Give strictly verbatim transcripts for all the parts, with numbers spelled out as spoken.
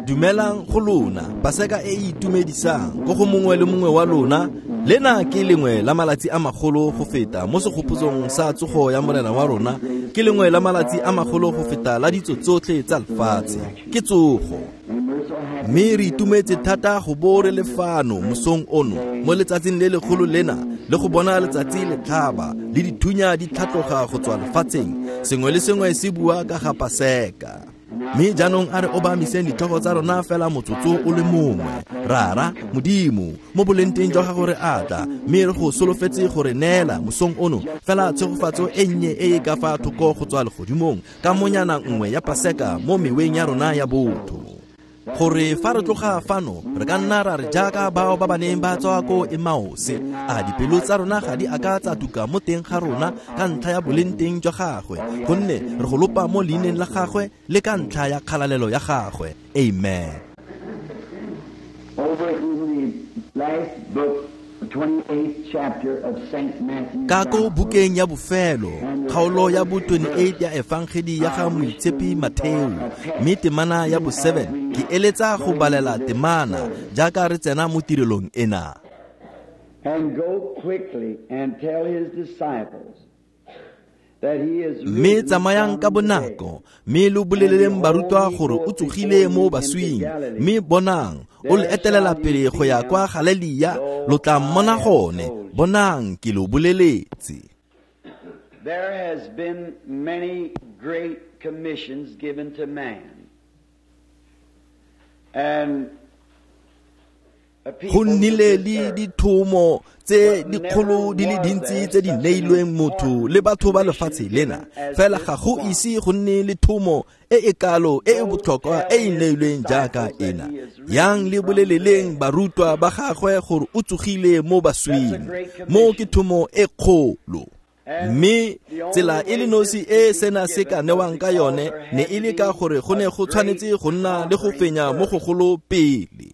Dumelang go lona, Paseka e e itumedisang ko go mongwe le mongwe wa lona. Lena ke lengwe la malatsi a magolo go feta mo segopotsong sa tsogo ya Morena wa rona, ke lengwe la malatsi a magolo go feta la ditso tsotlhe tsa lefatshe, ke tsogo. Mme re itumetse thata go bo re le fano mosong ono mo letsatsing le legolo lena, le go bona letsatsi le tlhaba le dithunya di tlhatloga go tswa lefatsheng. Sengwe le sengwe se bua ka ga Paseka. Mme jaanong a re obamiseng ditlhogo tsa rona fela motsotso o le mongwe. Rara Modimo, mo bolenteng jwa gago re atla, mme re go solofetse gore neela mosong ono fela tshegofatso e nnye e e ka fa thoko go tswa legodimong ka monyana nngwe ya Paseka mo meweng ya rona ya botho. Gore fa re tloga fano re ka nna ra re jaaka bao ba ba neng ba tswa ko Emmaus, a dipelo tsa rona ga di a ka tsa tuka mo teng ga rona ka ntlha ya bolenteng jwa gagwe, gonne re go lopa mo leineng la gagwe le ka ntlha ya kgalalelo ya gagwe. Amen. Over in the last book, twenty-eighth chapter of Saint Matthew's Ka ko Gospel, bukeng ya bofelo, kgaolo ya bo twenty-eight ya Efangedi ya ga Moitshepi Matheo, mme temana ya bo seven, ke eletsa go balela temana jaaka re tsena mo tirelong ena. And go quickly and tell his disciples that he is Mme risen tsamayang ka from the dead. bonako, mme lo boleleleng barutwa gore o tsogile mo baswing, mme bonang, o le etelela pele go ya kwa Galelia, lo tla mmona gone. Bonang, ke lo boleletse. There has been many great commissions given to man. And a people Go nnile to this le earth. dithomo tse dikgolo di le dintsi tse di neilweng motho le batho ba lefatshe lena, fela ga go ise go nne le thomo e e kalo e e botlhokwa e e neilweng jaaka ena. Yang le boleleleng barutwa ba gagwe gore o tsogile mo baswing. Mo ke thomo e kgolo. Mme tsela e le nosi e sena se ka newang ka yone ne e le ka gore go ne go tshwanetse go nna le go fenya mo gogolo pele.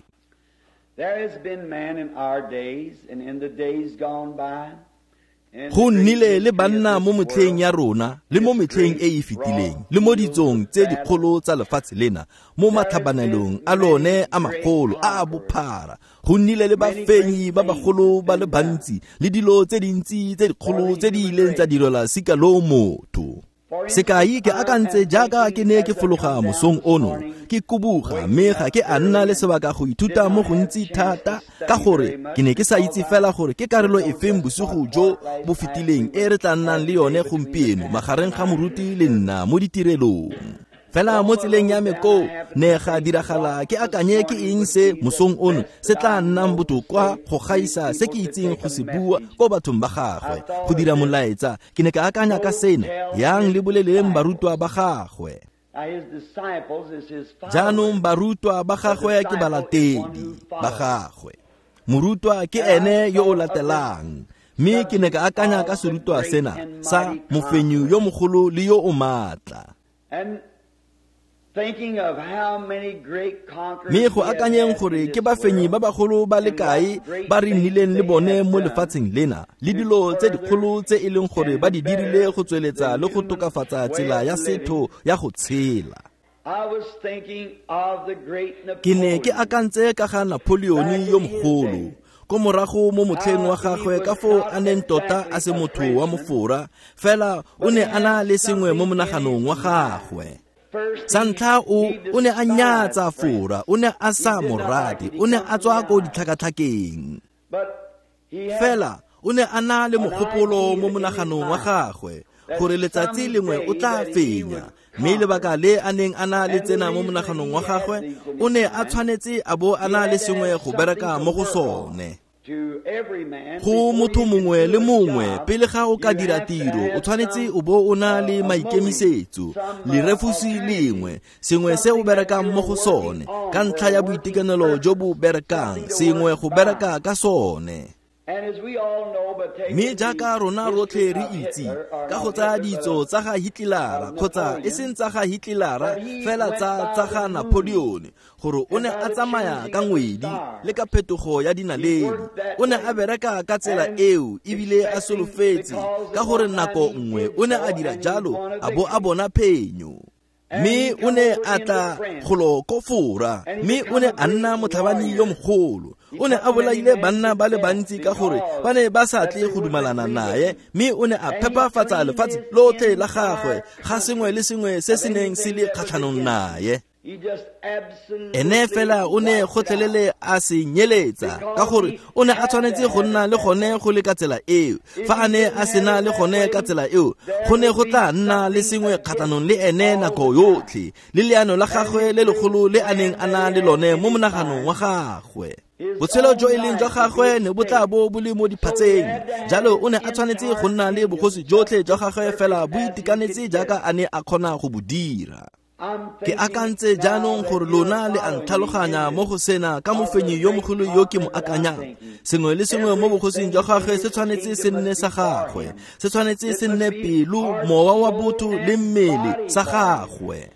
There has been man in our days and in the days gone by. In the Go great nnile le history of banna this mo metlheng world, ya rona le mo metlheng e e fetileng le mo ditsong tse dikgolo tsa lefatshe lena, mo matlhabanelong a lone a magolo a a bophara. Go nnile le bafenyi ba bagolo ba le bantsi le dilo tse dintsi tse dikgolo tse di ileng tsa direlwa sika lo motho. Sekai, ke akantse jaaka ke ne ke fologa mosong ono, ke kubuga, mme ga ke a nna le sebaka go ithuta mo gontsi thata, ka gore ke ne ke sa itse fela gore ke karolo efeng bosigo jo bo fetileng e re tla nnang le yone gompieno magareng ga moruti le nna mo ditirelong. Fela mo tseleng ya me koo ne ga diragala ke akanye ke eng se mosong ono se tla nnang botoka go gaisa se ke itseng go se bua ko bathong ba gagwe go dira molaetsa. Ke ne ka akanya ka sena, yang le boleleng barutwa ba gagwe. Now his disciples is his followers. Jaanong barutwa ba gagwe ke balatedi ba gagwe. Morutwa ke ene yo o latelang. Mme ke ne ka akanya ka serutwa sena sa mofenyi yo mogolo le yo o maatla. And thinking of how many great conquerors Mme go we have akanyeng had gore in ke this bafenyi ba world bagolo ba le and kae what great ba re things nnileng le they bone have mo done lefatsheng lena, le to dilo tse further dikgolo tse e leng gore and ba di dirile better go tsweletsa the le go human tokafatsa way tsela of ya living. setho ya go tshela. I was thinking of the great Ke ne ke Napoleon. akantse ka ga Napoleon Back in yo his mogolo, day. ko morago mo motlheng wa How he gagwe was ka foo not a neng tota exactly a se a motho wa Frenchman, Mofora, fela o but ne he a na had le sengwe mo something in monaganong his wa mind. gagwe. First, Sa he, ntlha o, he o ne a despised nyatsa France. Fora, o ne a He sa did mo not like rate, it. He o ne come a from tswa the ko island. ditlhakatlhakeng. But he had Fela o ne a na le an mogopolo mo idea in his monaganong wa mind gagwe that gore letsatsi lengwe o someday tla that he fenya. would Mme conquer. lebaka le a neng a na le And the tsena mo reason monaganong wa he had gagwe, these in o his ne a mind, tshwanetse a bo a he na le had to sengwe have go something bereka to mo go work on. sone. To every man, Go before motho you can mongwe do le a mongwe, job, pele ga o ka you dira have to tiro, o have tshwanetse some o bo o na uh, le a motive, maikemisetso, some uh, lerefusi alternative, lengwe, sengwe se o something that berekang mo you're go working sone, on ka for ntlha a ya working boitekanelo jo bo purpose, berekang, something to sengwe work go by. bereka ka sone. And as we all know, but Mme taking the jaaka rona history rotlhe re of itse, Hitler, or ka go not tsaya Hitler, but ditso of, tsa ga Hitler-a, of kgotsa e Napoleon, seng tsa ga Hitler-a, that he fela went tsa by tsa the ga moon Napoleon, gore o and ne by a the tsamaya choosing ka of the ngwedi le ka stars. phetogo ya He dinaledi. worked that O ne a way bereka ka tsela and eo ebile a expecting solofetse because ka at gore one time nako he nngwe did o ne so a dira and he jalo won a a bo a victory. bona phenyo. Mme o ne a tla golo ko Fora, mme o ne a nna motlhabani yo mogolo. O ne a bolaile banna ba le bantsi ka gore ba ne ba sa tle go dumalana naye, mme o ne a phepafatsa lefatshe lotlhe la gagwe ga sengwe le sengwe se se neng se le kgatlhanong naye. Ene fela o ne gotlhelele a se nyeletsa ka gore o ne a tshwanetse go nna le gone go le ka tsela eo. Fa a ne a sena le gone ka tsela eo, go ne go tla nna le sengwe kgatlhanong le ene nako yotlhe, le leano la gagwe le legolo le a neng a na le lone mo monaganong wa gagwe. Botshelo jo e leng jwa gagwe ne bo tla bo bo le mo diphatseng. Jalo o ne a tshwanetse go nna le bogosi jotlhe jwa gagwe fela bo itekanetse jaaka a ne a kgona go bo dira. Ke akantse jaanong gore lona le a ntlhaloganya mo go sena ka mofenyi yo mogolo yo ke mo akanyang. Sengwe le sengwe mo bogosing jwa gagwe se tshwanetse se nne sa gagwe, se tshwanetse se nne pelo, mowa wa botho le mmele sa gagwe.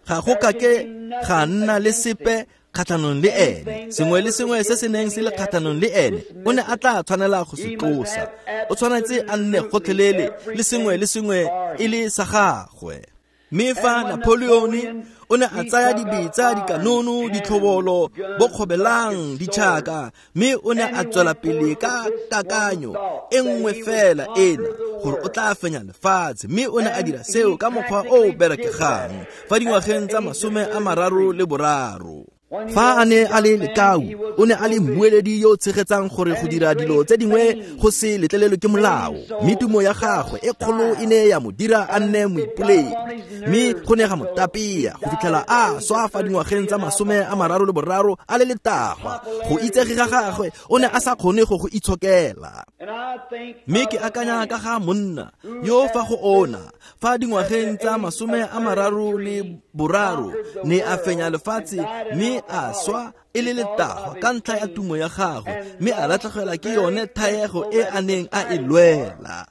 Ga go kake ga nna le sepe kgatlhanong le ene. Sengwe le sengwe se se neng se le kgatlhanong le ene, o ne a tla tshwanela go se tlosa. O tshwanetse a nne gotlhelele le sengwe le sengwe e le sa gagwe. Mme fa Napoleon o ne a tsaya dibetsa, dikanono, ditlhobolo, bokgobelang, ditšhaka, mme o ne a tswela pele ka kakanyo e nngwe fela ena gore o tla fenya lefatshe, mme o ne a dira seo ka mokgwa o o berekegang fa dingwageng tsa masome a mararo le boraro. Fa a ne a le lekau, o ne a le mmueledi yo o tshegetsang gore go dira dilo tse dingwe go se letlelelwe ke molao, mme tumo ya gagwe e kgolo e ne ya mo dira a nne moipoledi, mme go ne ga mo tapea go fitlhela a swa fa dingwageng tsa masome a mararo le boraro a le letagwa. Go itsege ga gagwe o ne a sa kgone go go itshokela. Mme ke akanya ka ga monna yo fa go ona fa dingwageng tsa masome a mararo le boraro ne a fenya lefatshe, mme a swa e le letagwa ka ntlha ya tumo ya gagwe, mme a latlhegelwa ke yone thaego e a neng a e lwela.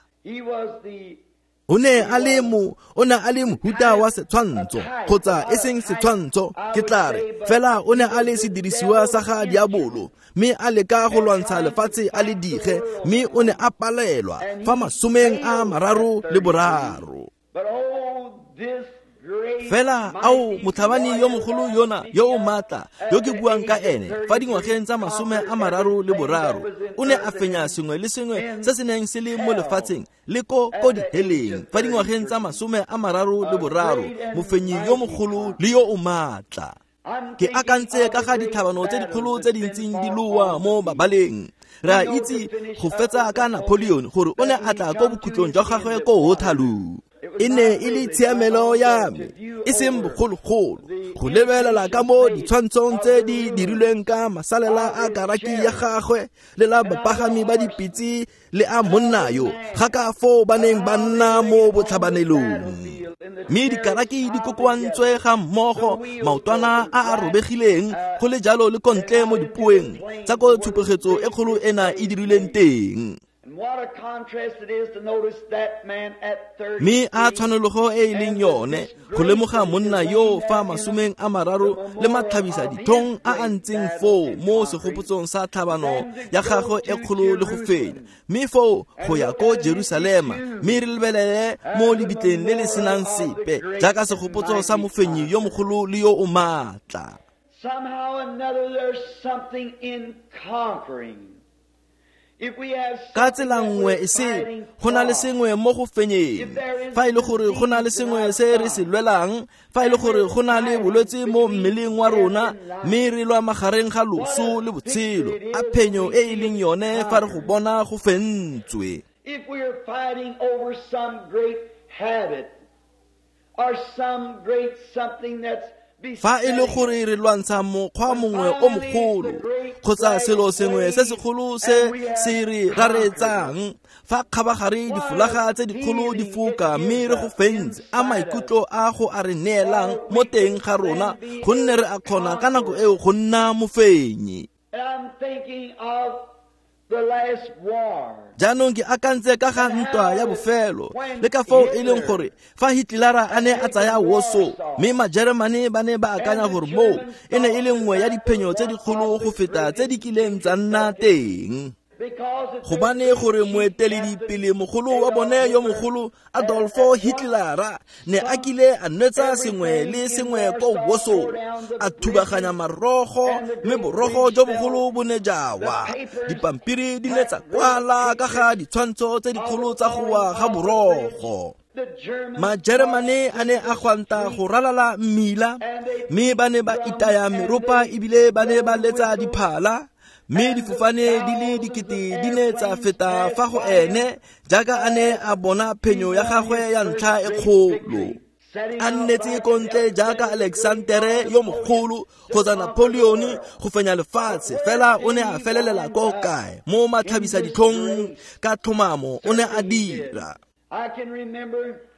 O ne a le mo, o ne a le mohuta wa setshwantsho, kgotsa e seng setshwantsho, ke tla re fela o ne a le sedirisiwa sa ga diabolo, mme a leka go lwantsha lefatshe a le dige, mme o ne a palelwa fa masomeng a mararo le boraro. Fela ao motlhabani yo mogolo yona yo o maatla yo ke buang ka ene fa dingwageng tsa masome a mararo le boraro, o ne a fenya sengwe le sengwe se se neng se le mo lefatsheng le ko ko diheleng fa dingwageng tsa masome a mararo le boraro, mofenyi yo mogolo le yo o maatla. Ke akantse ka ga ditlhabano tse dikgolo tse di ntseng di loa mo mabaleng. Re a itse go fetsa ka Napoleon gore o ne a tla ko bokhutlong jwa gagwe ko Waterloo. E ne e le tshiamelo ya me, e seng bogologolo, go lebelela ka mo ditshwantshong tse di dirilweng ka masalela a karaki ya gagwe le la bapagami ba dipitse le a monna yo, ga ka foo ba neng ba nna mo botlhabanelong. Mme dikaraki di kokoantswe ga mmogo, maotwana a a robegileng, go le jalo le kontle mo dipoeng tsa ko tshupegetso e kgolo ena e dirilweng teng. Mme a tshwanologo e e leng yone go lemoga monna yo fa masomeng a mararo le matlhabisa dithong a a ntseng foo mo segopotsong sa tlhabano ya gagwe e kgolo le go fenya, mme foo go ya ko Jerusalema, mme re lebelele mo lebitleng le le senang sepe jaaka segopotso sa mofenyi yo mogolo le yo o maatla. Somehow or another there's something in conquering. Ka tsela nngwe e se go na le sengwe mo go fenyeng. Fa e le gore go na le sengwe se re se lwelang, fa e le gore go na le bolwetse mo mmeleng wa rona, mme re lwa magareng ga loso le botshelo, a phenyo e e leng yone fa re go bona go fentswe. If we are fighting over some great habit or some great something that's Fa e le gore re lwantsha mokgwa mongwe o mogolo kgotsa selo sengwe se segolo se se re raretsang, fa kgabagare difolaga tse dikgolo di foka mme re go fentse, a maikutlo a go a re neelang mo teng ga rona, gonne re a kgona ka nako eo go nna mofenyi. Jaanong ke akantse ka ga ntwa ya bofelo le ka foo e leng gore fa Hitlera a ne a tsaya Warsaw, mme Majeremane ba ne ba akanya gore moo e ne e le nngwe ya diphenyo tse dikgolo go feta tse di kileng tsa nna teng. Gobane gore moeteledipele mogolo wa bone yo mogolo Adolfo Hitlera ne a kile a nwetsa sengwe le sengwe ko Warsaw, a thubaganya marogo mme borogo jo bogolo bo ne jawa. Dipampiri di ne tsa kwala ka ga ditshwantsho tse dikgolo tsa go wa ga borogo. Majeremane a ne a gwanta go ralala mmila, mme ba ne ba itaya meropa ebile ba ne ba letsa diphala, mme difofane di le dikete di ne tsa feta fa go ene jaaka a ne a bona phenyo ya gagwe ya ntlha e kgolo. A nnetse ko ntle jaaka Alexandere yo mogolo kgotsa Napoleon go fenya lefatshe, fela o ne a felelela ko kae? Mo matlhabisa ditlhong ka tlhomamo o ne a dira.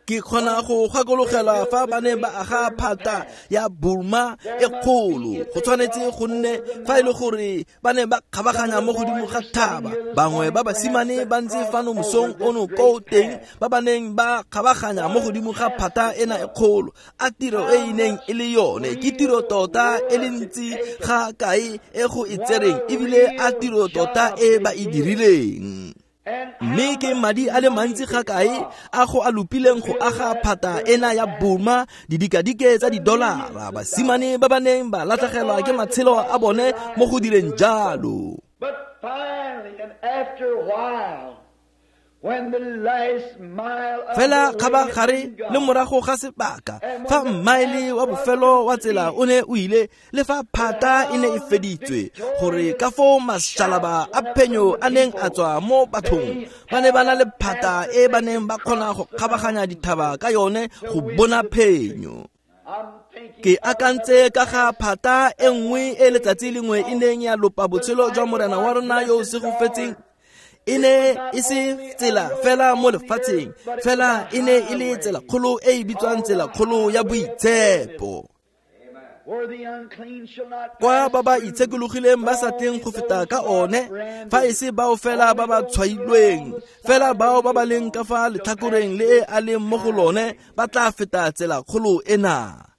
Ke kgona go gakologela fa ba ne ba aga phata ya Burma e kgolo. Go tshwanetse go nne fa e le gore ba ne ba kgabaganya mo godimo ga thaba. Bangwe ba basimane ba ntse fano mosong ono ko teng ba ba neng ba kgabaganya mo godimo ga phata ena e kgolo. A tiro e e neng e le yone ke tiro tota e le ntsi ga kae e go e tsereng, ebile a tiro tota e ba e dirileng. Mme ke madi a le mantsi ga kae a go a lopileng go aga phata ena ya Burma, didikadike tsa didolara, basimane ba ba neng ba latlhegelwa ke matshelo a bone mo go direng jalo. Fela kgabagare le morago ga sebaka, fa mmaele wa bofelo wa tsela o ne o ile, le fa phata e ne e feditswe, gore ka foo mašalaba a phenyo a neng a tswa mo bathong, ba ne ba na le phata e ba neng ba kgona go kgabaganya dithaba ka yone go bona phenyo. Ke akantse ka ga phata e nngwe e letsatsi lengwe e neng ya lopa botshelo jwa morena wa rona yo o segofetseng. E ne e se tsela fela mo lefatsheng, fela e ne e le tsela kgolo e e bitswang tsela kgolo ya boitshepo, kwa ba ba itshekologileng ba sa tleng go feta ka one, fa e se bao fela ba ba tshwailweng, fela bao ba ba leng ka fa letlhakoreng le e a leng mo go lone ba tla feta tsela kgolo ena.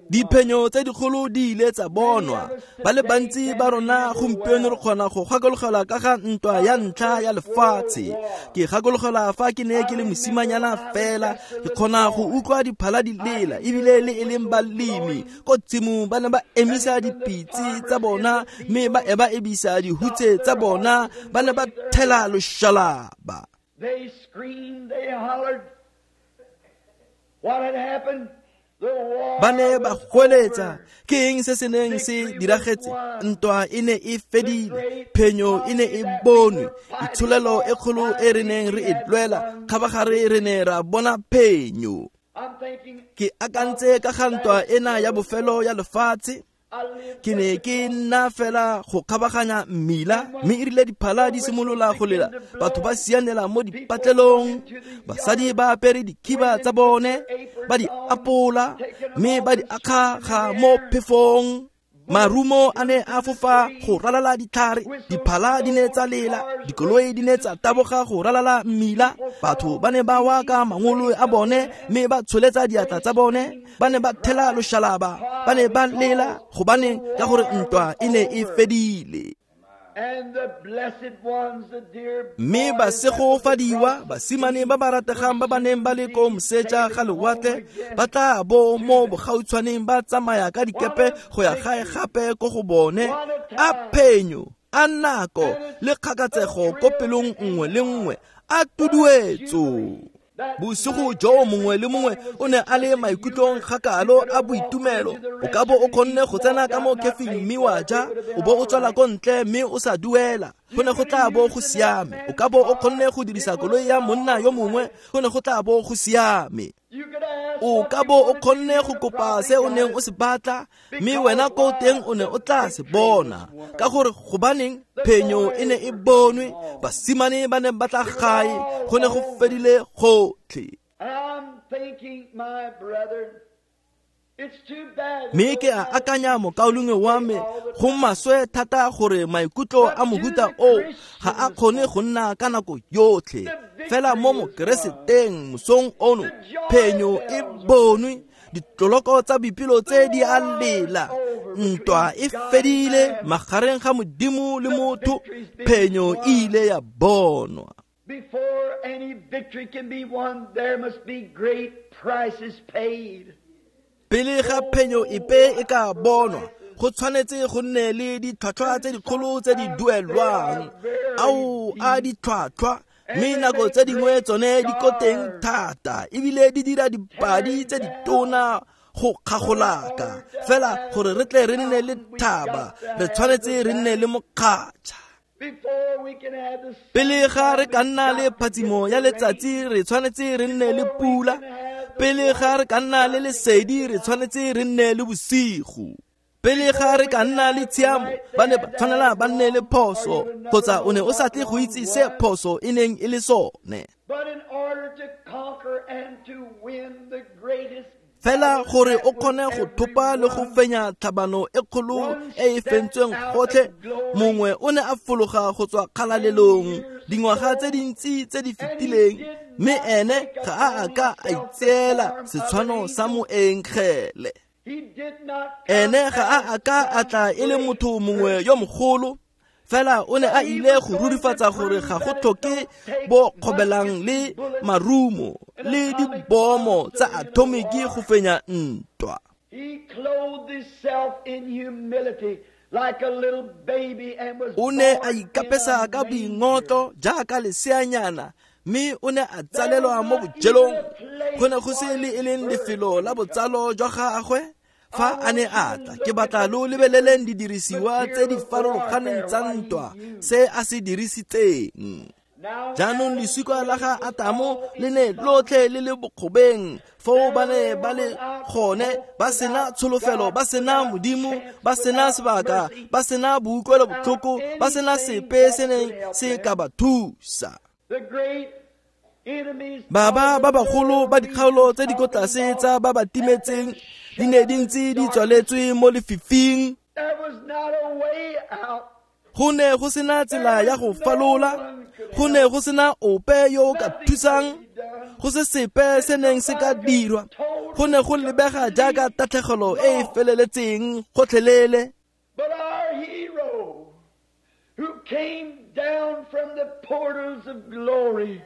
Diphenyo tse dikgolo di ile tsa bonwa. Ba le bantsi ba rona gompieno re kgona go gakologelwa ka ga ntwa ya ntlha ya lefatshe. Ke gakologelwa fa ke ne ke le mosimanyana fela, ke kgona go utlwa diphala di lela, ebile le e leng balemi ko tshimong ba ne ba emisa dipitse tsa bona mme ba eba ebisa dihutse tsa bona, ba ne ba thela loshalaba. They screamed, they hollered. What had happened? Ba ne ba goeletsa, ke eng se se neng se diragetse? Ntwa e ne e fedile, phenyo e ne e bonwe, itsholelo e kgolo e re neng re e lwela, kgabagare re ne ra bona phenyo. Ke akantse ka ga ntwa ena ya bofelo ya lefatshe. Ke ne ke nna fela go kgabaganya mmila, mme e rile diphala di simolola go lela, batho ba sianela mo dipatlelong, basadi ba apere dikhiba tsa bone, ba di apola, mme ba di akgaga mo phefong. Marumo a ne a fofa go ralala ditlhare, diphala di ne tsa lela, dikoloi di ne tsa taboga go ralala mmila, batho ba ne ba wa ka mangolo a bone mme ba tsholetsa diatla tsa bone, ba ne ba thela loshalaba, ba ne ba lela gobane ka gore ntwa e ne e fedile. Mme ba segofadiwa basimane ba ba rategang ba ba neng ba le ko moseja ga lewatle ba tla bo mo bogautshwaneng ba tsamaya ka dikepe go ya gae gape ko go bone. A phenyo, a nako le kgakatsego ko pelong nngwe le nngwe, a tuduetso. Bosigo jo mongwe le mongwe o ne a le maikutlong kgakalo a boitumelo. O ka bo o kgonne go tsena ka mo kefing mme wa ja, o bo o tswela ko ntle mme o sa duela, go ne go tla bo go siame. O ka bo o kgonne go dirisa koloi ya monna yo mongwe, go ne go tla bo go siame. O ka bo o kgonne go kopa se o neng o se batla, mme wena ko teng o ne o tla se bona. Ka gore gobaneng phenyo e ne e bonwe, basimane ba ne ba tla gae, go ne go fedile gotlhe. Mme ke a akanya mokaulengwe wa me, go maswe thata gore maikutlo a mohuta o ga a kgone go nna ka nako yotlhe. Fela mo mokereseteng mosong ono, phenyo e bonwe, ditloloko tsa boipelo tse di a lela, Ntwa e fedile magareng ga Modimo le motho, phenyo e ile ya bonwa. Before any victory can be won, there must be great prices paid. Pele ga phenyo epe e ka bonwa, go tshwanetse go nne le ditlhwatlhwa tse dikgolo tse di duelwang. Ao a ditlhwatlhwa, mme nako tse dingwe tsone di ko teng thata, ebile di dira dipadi tse ditona go kgagolaka. Fela gore re tle re nne le thaba, re tshwanetse re nne le mokgatšha. Pele ga re ka nna le phatsimo ya letsatsi, re tshwanetse re nne le pula. Pele ga re ka nna le lesedi, re tshwanetse re nne le bosigo. Pele ga re ka nna le tshiamo, ba ne ba tshwanela ba nne le phoso, kgotsa o ne o sa tle go itse se phoso e neng e le sone. Fela gore o kgone go thopa le go fenya tlhabano e kgolo e e fentsweng gotlhe, mongwe o ne a fologa go tswa kgalalelong dingwaga tse dintsi tse di fetileng, mme ene ga a a ka a itseela setshwano sa moengele. Ene ga a a ka a tla e le motho mongwe yo mogolo, fela o ne a ile go rurifatsa gore ga go tlhoke bo kgobelang le marumo le dibomo tsa atomiki go fenya ntwa. O ne a ikapesa ka boingotlo jaaka leseanyana, mme o ne a tsalelwa mo bojelong. Go ne go se le e leng lefelo la botsalo jwa gagwe fa a ne a tla. Ke batla lo lebeleleng didirisiwa tse di farologaneng tsa ntwa se a se dirisitseng. Jaanong lesika la ga Atamo le ne lotlhe le le bokgobeng, foo ba ne ba le gone ba sena tsholofelo, ba sena Modimo, ba sena sebaka, ba sena boutlwelobotlhoko, ba sena sepe se neng se ka ba thusa. Baba ba bagolo ba dikgaolo tse di ko tlase tsa ba ba timetseng di ne di ntse di tswaletswe mo lefifing. Go ne go sena tsela ya go falola, go ne go sena ope yo o ka thusang, go se sepe se neng se ka dirwa. Go ne go lebega jaaka tatlhegelo e e feleletseng gotlhelele. But our hero who came down from the portals of glory,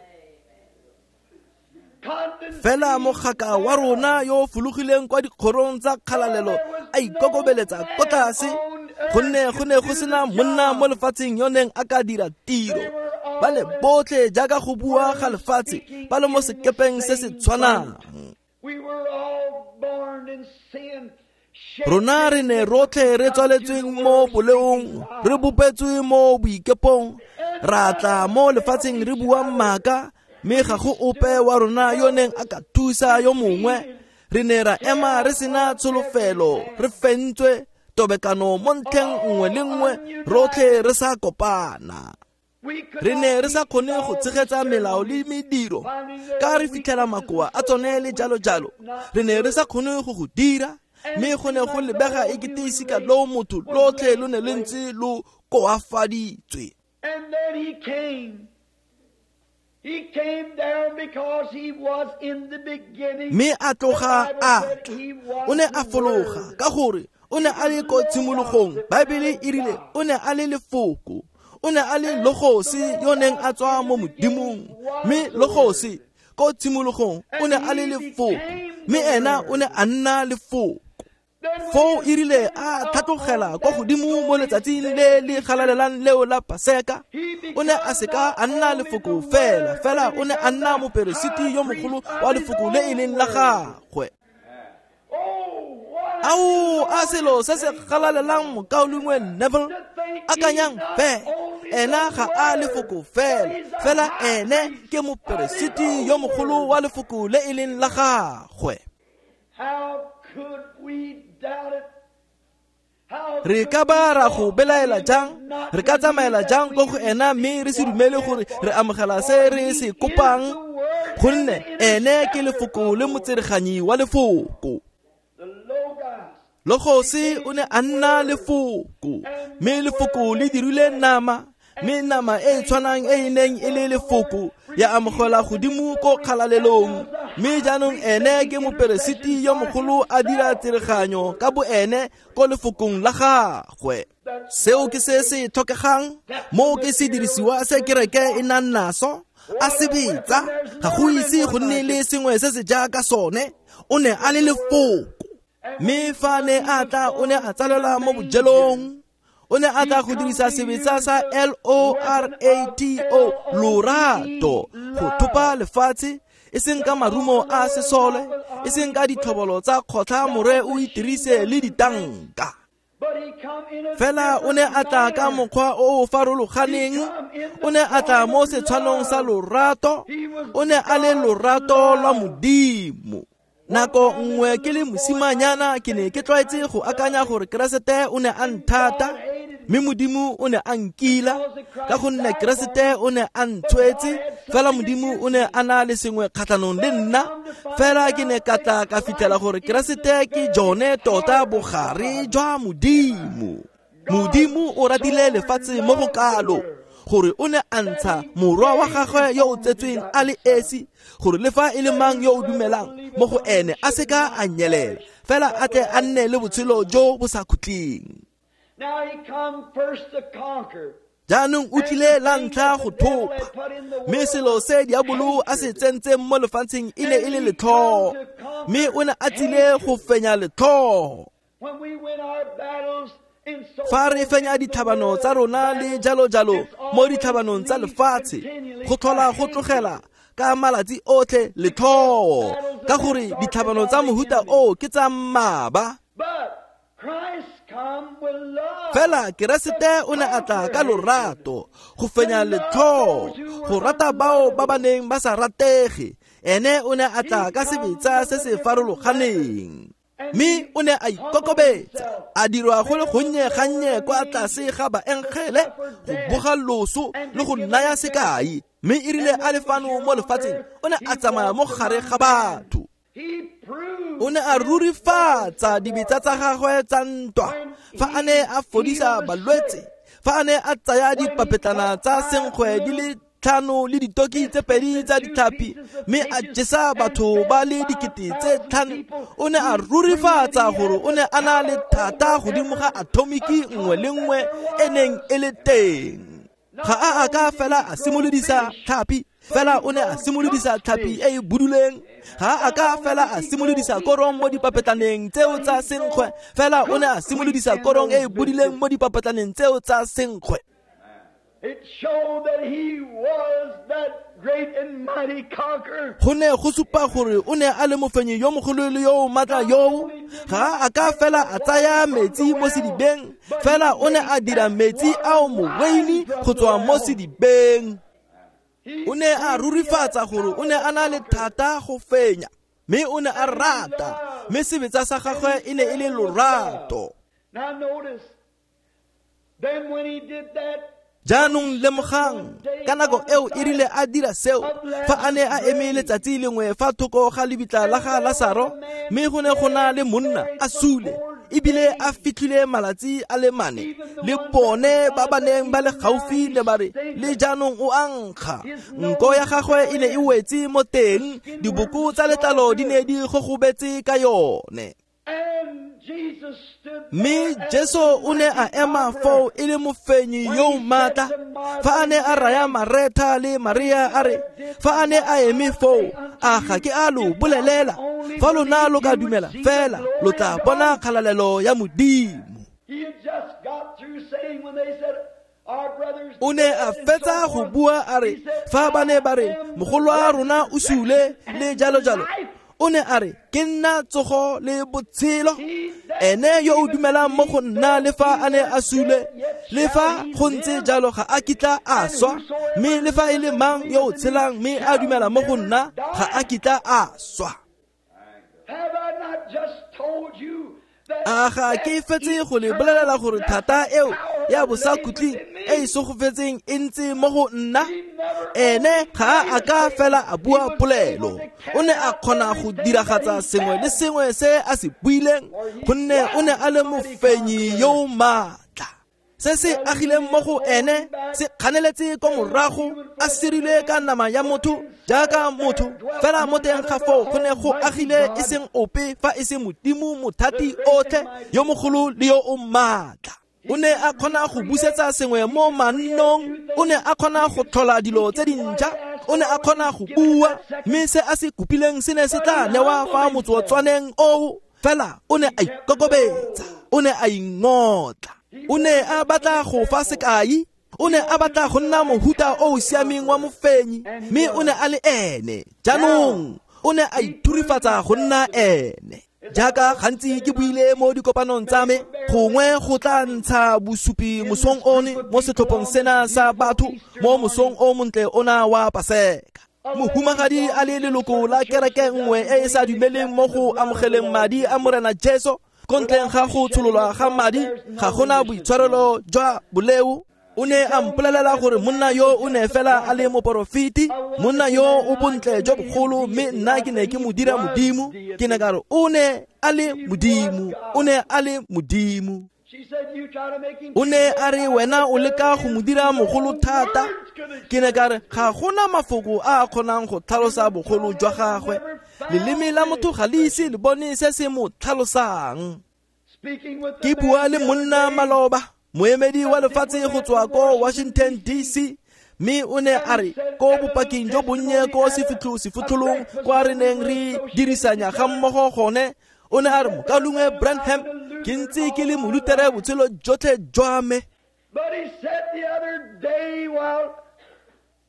Fela mogaka wa rona yo fologileng kwa dikgorong tsa kgalalelo a ikokobeletsa ko tlase, gonne go ne go sena monna mo lefatsheng yo neng a ka dira tiro. Ba le botlhe jaaka go bua ga lefatshe, ba le mo sekepeng se se tshwanang. Rona re ne rotlhe re tswaletsweng mo boleong, re bopetswe mo boikepong, ra tla mo lefatsheng re bua maaka, mme ga go ope wa rona yo neng a ka thusa yo mongwe. Re ne ra ema re sena tsholofelo, re fentswe tobekano mo ntlheng nngwe le nngwe, rotlhe re sa kopana. Re ne re sa kgone go tshegetsa melao le mediro, ka re fitlhela makoa a tsone le jalo jalo. Re ne re sa kgone go go dira, mme go ne go lebega e kete sika lo motho lotlhe lo ne le ntse lo koafaditswe. And then he came. He came down because he was in the beginning. Mme a tloga a tla, o ne a fologa ka gore o ne a le ko tshimologong. Baebele e rile o ne a le lefoko, o ne a le logosi yo neng a tswa mo Modimong, mme logosi ko tshimologong o ne a le lefoko, mme ena o ne a nna lefoko. Foo e rile a tlhatlogela kwa godimo mo letsatsing le le galalelang leo la Paseka, o ne a seka a nna lefoko fela, fela o ne a nna moperesiti yo mogolo wa lefoko le e leng la gagwe. Ao, a selo se se galalelang mokaulengwe Neville, akanyang fela, ena ga a lefoko fela, fela ene ke moperesiti yo mogolo wa lefoko le e leng la gagwe. How could we doubt it? Re ka ba ra go belaela jang? Re ka tsamaela jang ko go ena mme re se dumele gore re amogela se re se kopang? Gonne ene ke lefoko le motsereganyi wa lefoko. Logosi o ne a nna lefoko, mme lefoko le dirile nama, Mme nama e e tshwanang e e neng e le lefoko ya amogela godimo ko kgalalelong. Mme jaanong ene ke moperesiti yo mogolo a dira tsereganyo ka boene ko lefokong la gagwe. Seo ke se se tlhokegang, moo ke sedirisiwa se kereke e nang naso. A sebetsa, ga go ise go nne le sengwe se se jaaka sone. O ne a le lefoko. Mme fa ne a tla, o ne a tsalelwa mo bojelong. O ne a tla go dirisa sebetsa sa L O R A T O, lorato, go thopa lefatshe, e seng ka marumo a sesole, e seng ka ditlhobolo tsa kgotlha more o itirise le ditanka. Fela o ne a tla ka mokgwa o o farologaneng. O ne a tla mo setshwanong sa lorato. O ne a le lorato lwa Modimo. Nako nngwe ke le mosimanyana ke ne ke tlwaetse go akanya gore Keresete o ne a nthata, mme Modimo o ne a nkila, ka gonne Keresete o ne a ntshwetse, fela Modimo o ne a na le sengwe kgatlhanong le nna. Fela ke ne ka tla ka fitlhela gore Keresete ke jone tota bogare jwa Modimo. Modimo o ratile lefatshe mo go kalo gore o ne a ntsha morwa wa gagwe yo o tsetsweng a le esi, gore le fa e le mang yo o dumelang mo go ene a seka a nyelela, fela a tle a nne le botshelo jo bo sa khutleng. Jaanong o tlile la ntlha go thopa, mme selo se diabolo a se tsentseng mo lefatsheng e ne e le letlhoo, mme o ne a tsile go fenya letlhoo. Fa re fenya ditlhabano tsa rona le jalo-jalo mo ditlhabanong tsa lefatshe, go tlhola go tlogela ka malatsi otlhe letlhoo, ka gore ditlhabano tsa mohuta oo ke tsa mmaba. Fela Keresete o ne a tla ka lorato go fenya letlhoo, go rata bao ba ba neng ba sa ratege. Ene o ne a tla ka sebetsa se se farologaneng. Mme o ne a ikokobetsa, a dirwa go le gonnye gannye kwa tlase ga baengele, go boga loso le go naya sekai. Mme e rile a le fano mo lefatsheng, o ne a tsamaya mo gare ga batho. O ne a rurifatsa dibetsa tsa gagwe tsa ntwa fa a ne a fodisa balwetse, fa a ne a tsaya dipapetlana tsa senkgwe di le tlhano le ditoki tse pedi tsa ditlhapi, mme a jesa batho ba le dikete tse tlhano. O ne a rurifatsa gore o ne a na le thata godimo ga atomiki nngwe le nngwe e neng e le teng. Ga a a ka fela a simolodisa tlhapi, fela o ne a simolodisa tlhapi e e buduleng. Ga a ka fela a simolodisa korong mo dipapetlaneng tseo tsa senkgwe, fela o ne a simolodisa korong e e buduleng mo dipapetlaneng tseo tsa senkgwe. It showed that he was that great and mighty conqueror. Go ne go supa gore o ne a le mofenyi yo mogolo le yo o maatla yoo. Ga a ka fela a tsaya metsi mo sedibeng, fela o ne a dira metsi ao moweini go tswa mo sedibeng. O ne a rurifatsa gore o ne a na le thata go fenya, mme o ne a rata, mme sebetsa sa gagwe e ne e le lorato. Now notice, then when he did that, Jaanong lemogang, ka nako eo e rile a dira seo, fa a ne a eme letsatsi lengwe fa thoko ga lebitla la ga Lasaro, mme go ne go na le monna a sule, ebile a fitlhile malatsi a le mane, le bone ba ba neng ba le gaufi ne ba re, le jaanong o a nkga. Nko ya gagwe e ne e wetse mo teng, diboko tsa letlalo di ne di gogobetse ka yone. Mme Jesu o ne a ema foo e le mofenyi yo o maatla, fa a ne a raya Maretha le Maria a re, fa a ne a eme foo, a ga ke a lo bolelela, fa lona lo ka dumela fela, lo tla bona kgalalelo ya Modimo. O ne a fetsa go bua a re, fa ba ne ba re, mogolo wa rona o sule le jalo jalo, o ne a re, ke nna tsogo le botshelo. Ene yo o dumelang mo go nna le fa a ne a sule, le fa go ntse jalo ga a kitla a swa, mme le fa e le mang yo o tshelang mme a dumela mo go nna ga a kitla a swa. A ga ke fetse go le bolelela gore thata eo ya bosakhutleng e e segofetseng e ntse mo go nna? Ene ga a ka fela a bua polelo, o ne a kgona go diragatsa sengwe le sengwe se a se buileng, gonne o ne a le mofenyi yo o maatla. Se se agileng mo go ene se kganeletse ko morago, a sirile ka nama ya motho jaaka motho. Fela mo teng ga foo go ne go agile e seng ope fa e se Modimo mothati otlhe, yo mogolo le yo o maatla. O ne a kgona go busetsa sengwe mo mannong, o ne a kgona go tlhola dilo tse dintšha, o ne a kgona go bua, mme se a se kopileng se ne se tla newa fa motsotswaneng oo. Fela o ne a ikokobetsa, o ne a ingotla, o ne a batla go fa sekai, o ne a batla go nna mohuta o o siameng wa mofenyi, mme o ne a le ene. Jaanong o ne a ithurifatsa go nna ene. Jaaka gantsi ke buile mo dikopanong tsa me, gongwe go tla ntsha bosupi mosong one mo setlhopheng sena sa batho mo mosong o montle ona wa Paseka. Mohumagadi a le leloko la kereke nngwe e e sa dumeleng mo go amogeleng madi a Morena Jesu, ko ntleng ga go tshololwa ga madi ga gona boitshwarelo jwa boleo. O ne a mpolelela gore monna yo o ne fela a le moporofeti, monna yo o bontle jo bogolo, mme nna ke ne ke mo dira Modimo. Ke ne ka re o ne a le Modimo, o ne a le Modimo. O ne a re wena o leka go mo dira mogolo thata. Ke ne ka re ga gona mafoko a a kgonang go tlhalosa bogolo jwa gagwe. Leleme la motho ga le ise le bone se se mo tlhalosang. Ke bua le monna maloba, moemedi wa lefatshe go tswa ko Washington D C, mme o ne a re ko bopaking jo bonnye ko sefitlholong kwa re neng re dirisanya ga mmogo gone. O ne a re mokaulengwe Branham, ke ntse ke le molutere botshelo jotlhe jwa me.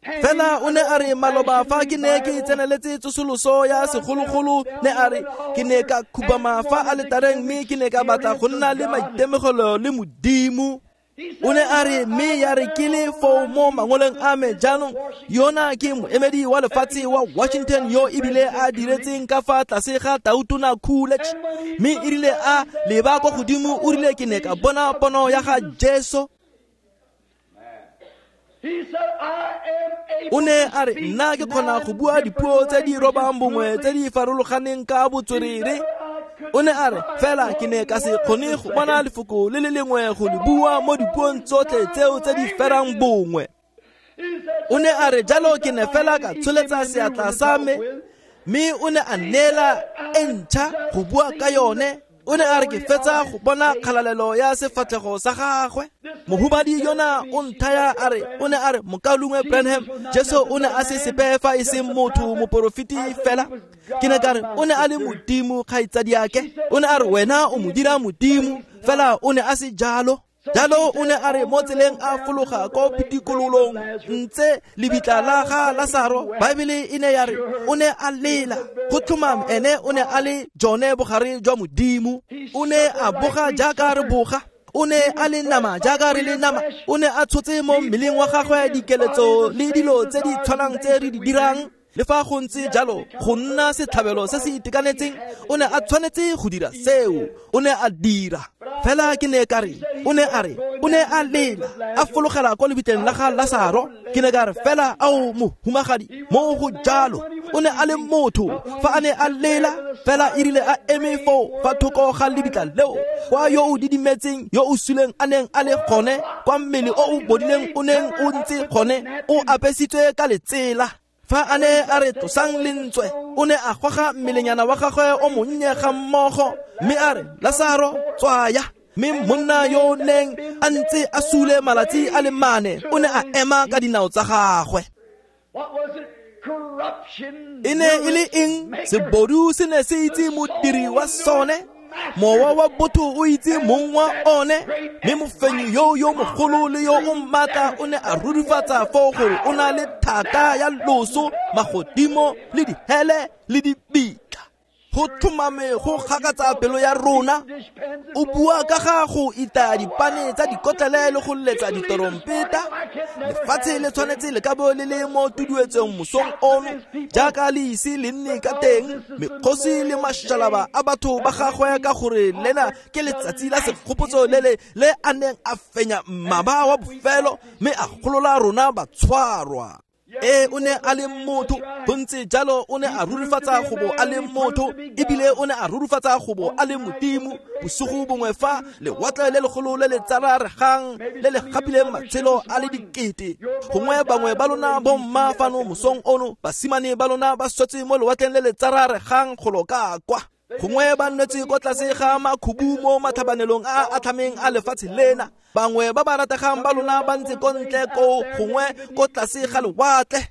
Fela o ne a re maloba fa ke ne ke tseneletse tsosoloso ya segologolo, ne a re ke ne ka khubama fa aletareng mme ke ne ka batla go nna le maitemogelo le Modimo. O ne a re mme ya re ke le foo mo mangoleng a me. Jaanong yona ke moemedi wa lefatshe wa Washington yo ebile a diretseng ka fa tlase ga Tautona Coolidge, mme e rile a leba kwa godimo o rile ke ne ka bona pono ya ga Jesu. O ne a re nna ke kgona go bua dipuo tse di robang bongwe tse di farologaneng ka botswerere. O ne a re fela ke ne ka se kgone go bona lefoko le le lengwe go le bua mo dipuong tsotlhe tseo tse di ferang bongwe. O ne a re jalo ke ne fela ka tsholetsa seatla sa me, mme o ne a neela e ntšha go bua ka yone. O ne a re ke fetsa go bona kgalalelo ya sefatlhego sa gagwe. Mohumadi yona o nthaya a re, o ne a re mokaulengwe Branham, Jesu o ne a se sepe fa e seng motho moporofeti fela. Ke ne ka re o ne a le Modimo kgaitsadiake. O ne a re wena o mo dira Modimo, fela o ne a se jalo. Jalo o ne a re mo tseleng a fologa ko pitikololong ntse lebitla la ga Lasaro. Baebele e ne ya re o ne a lela. Go tlhomame ene o ne a le jone bogare jwa Modimo. O ne a boga jaaka re boga, o ne a le nama jaaka re le nama. O ne a tshotse mo mmeleng wa gagwe dikeletso le dilo tse di tshwanang tse re di dirang. Le fa go ntse jalo, go nna setlhabelo se se itekanetseng, o ne a tshwanetse go dira seo. O ne a dira. Fela ke ne ka re, o ne a re, o ne a lela, a fologela kwa lebitleng la ga Lasaro. Ke ne ka re fela ao mohumagadi, mo go jalo. O ne a le motho fa a ne a lela, fela e rile a eme foo fa thoko ga lebitla leo, kwa yo o didimetseng, yo o suleng a neng a le gone, kwa mmele o o bodileng o neng o ntse gone, o apesitswe ka letsela. Fa a ne a re tlosang lentswe, o ne a goga mmelenyana wa gagwe o monnye ga mmogo, mme a re Lasaro tswaya. Mme monna yo o neng a ntse a sule malatsi a le mane o ne a ema ka dinao tsa gagwe. E ne e le eng? Sebodu se ne se itse modiri wa sone, mowa wa botho o itse mong wa one, mme mofenyi yo yo mogolo le yo o maatla o ne a rurifatsa foo gore o na le thata ya loso, magodimo le dihele le dibitla. Go tlhomame go gakatsa pelo ya rona. O bua ka ga go itaya dipane tsa dikotlele le go letsa ditorompeta. Lefatshe le tshwanetse le ka bo le le mo tuduetsong mosong ono, jaaka le ise le nne ka teng, mekgosi le mašalaba a batho ba gagwe, ka gore lena ke letsatsi la segopotso le le le a neng a fenya mmaba wa bofelo, mme a golola rona batshwarwa. Ee, o ne a le motho, go ntse jalo o ne a rurifatsa go bo a le motho, ebile o ne a rurifatsa go bo a le Modimo. Bosigo bongwe fa lewatle le legolo le le tsararegang le le gapileng matshelo a le dikete, gongwe bangwe ba lona bomma fano mosong ono, basimane ba lona ba swetse mo lewatleng le le tsararegang golo ka kwa, gongwe ba nnetse kwa tlase ga makhubu mo matlhabanelong a a tlhameng a lefatshe lena, bangwe ba ba rategang ba lona ba ntse ko ntle koo, gongwe ko tlase ga lewatle.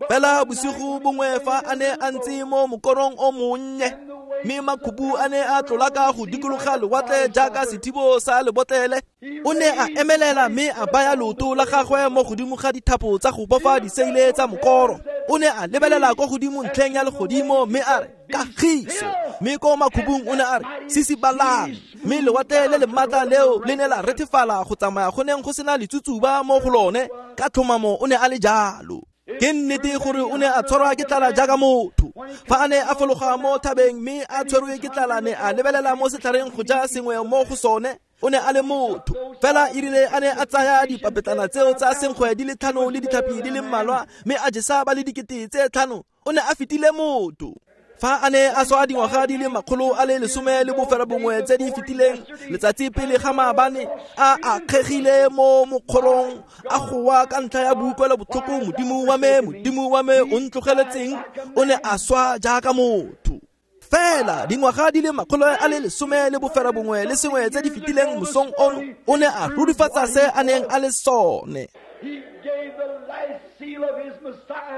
Fela bosigo bongwe fa a ne a ntse mo mokorong o monnye, mme makhubu a ne a tlola ka go dikologa lewatle jaaka sethibo sa lebotlele, o ne a emelela mme a baya leoto la gagwe mo godimo ga dithapo tsa go bofa diseile tsa mokoro. O ne a lebelela kwa godimo ntlheng ya legodimo mme a re, kagiso. Mme ko makhubung o ne a re, sisibalang. Mme lewatle le le maatla leo le ne la rethefala go tsamaya go neng go sena letsutsuba mo go lone. Ka tlhomamo o ne a le jalo. Ke nnete gore o ne a tshwarwa ke tlala jaaka motho. Fa a ne a fologa mo thabeng mme a tshwerwe ke tlala, ne a lebelela mo setlhareng go ja sengwe mo go sone. O ne a le motho. Fela erile a ne a tsaya dipapetlana tseo tsa senkgwe di le tlhano le ditlhapi di le mmalwa, mme a jesa ba le dikete tse tlhano, o ne a fetile motho. Fa a ne a swa dingwaga di le makgolo a le lesome le bofera bongwe tse di fetileng, letsatsi pele ga maabane, a akgegile mo mokgorong, a goa ka ntlha ya boutlwelo botlhoko, Modimo wa me, Modimo wa me, o ntlogeletseng, o ne a swa jaaka motho. Fela dingwaga di le makgolo a le lesome le bofera bongwe le sengwe tse di fetileng mosong ono, o ne a rurifatsa se a neng a le sone.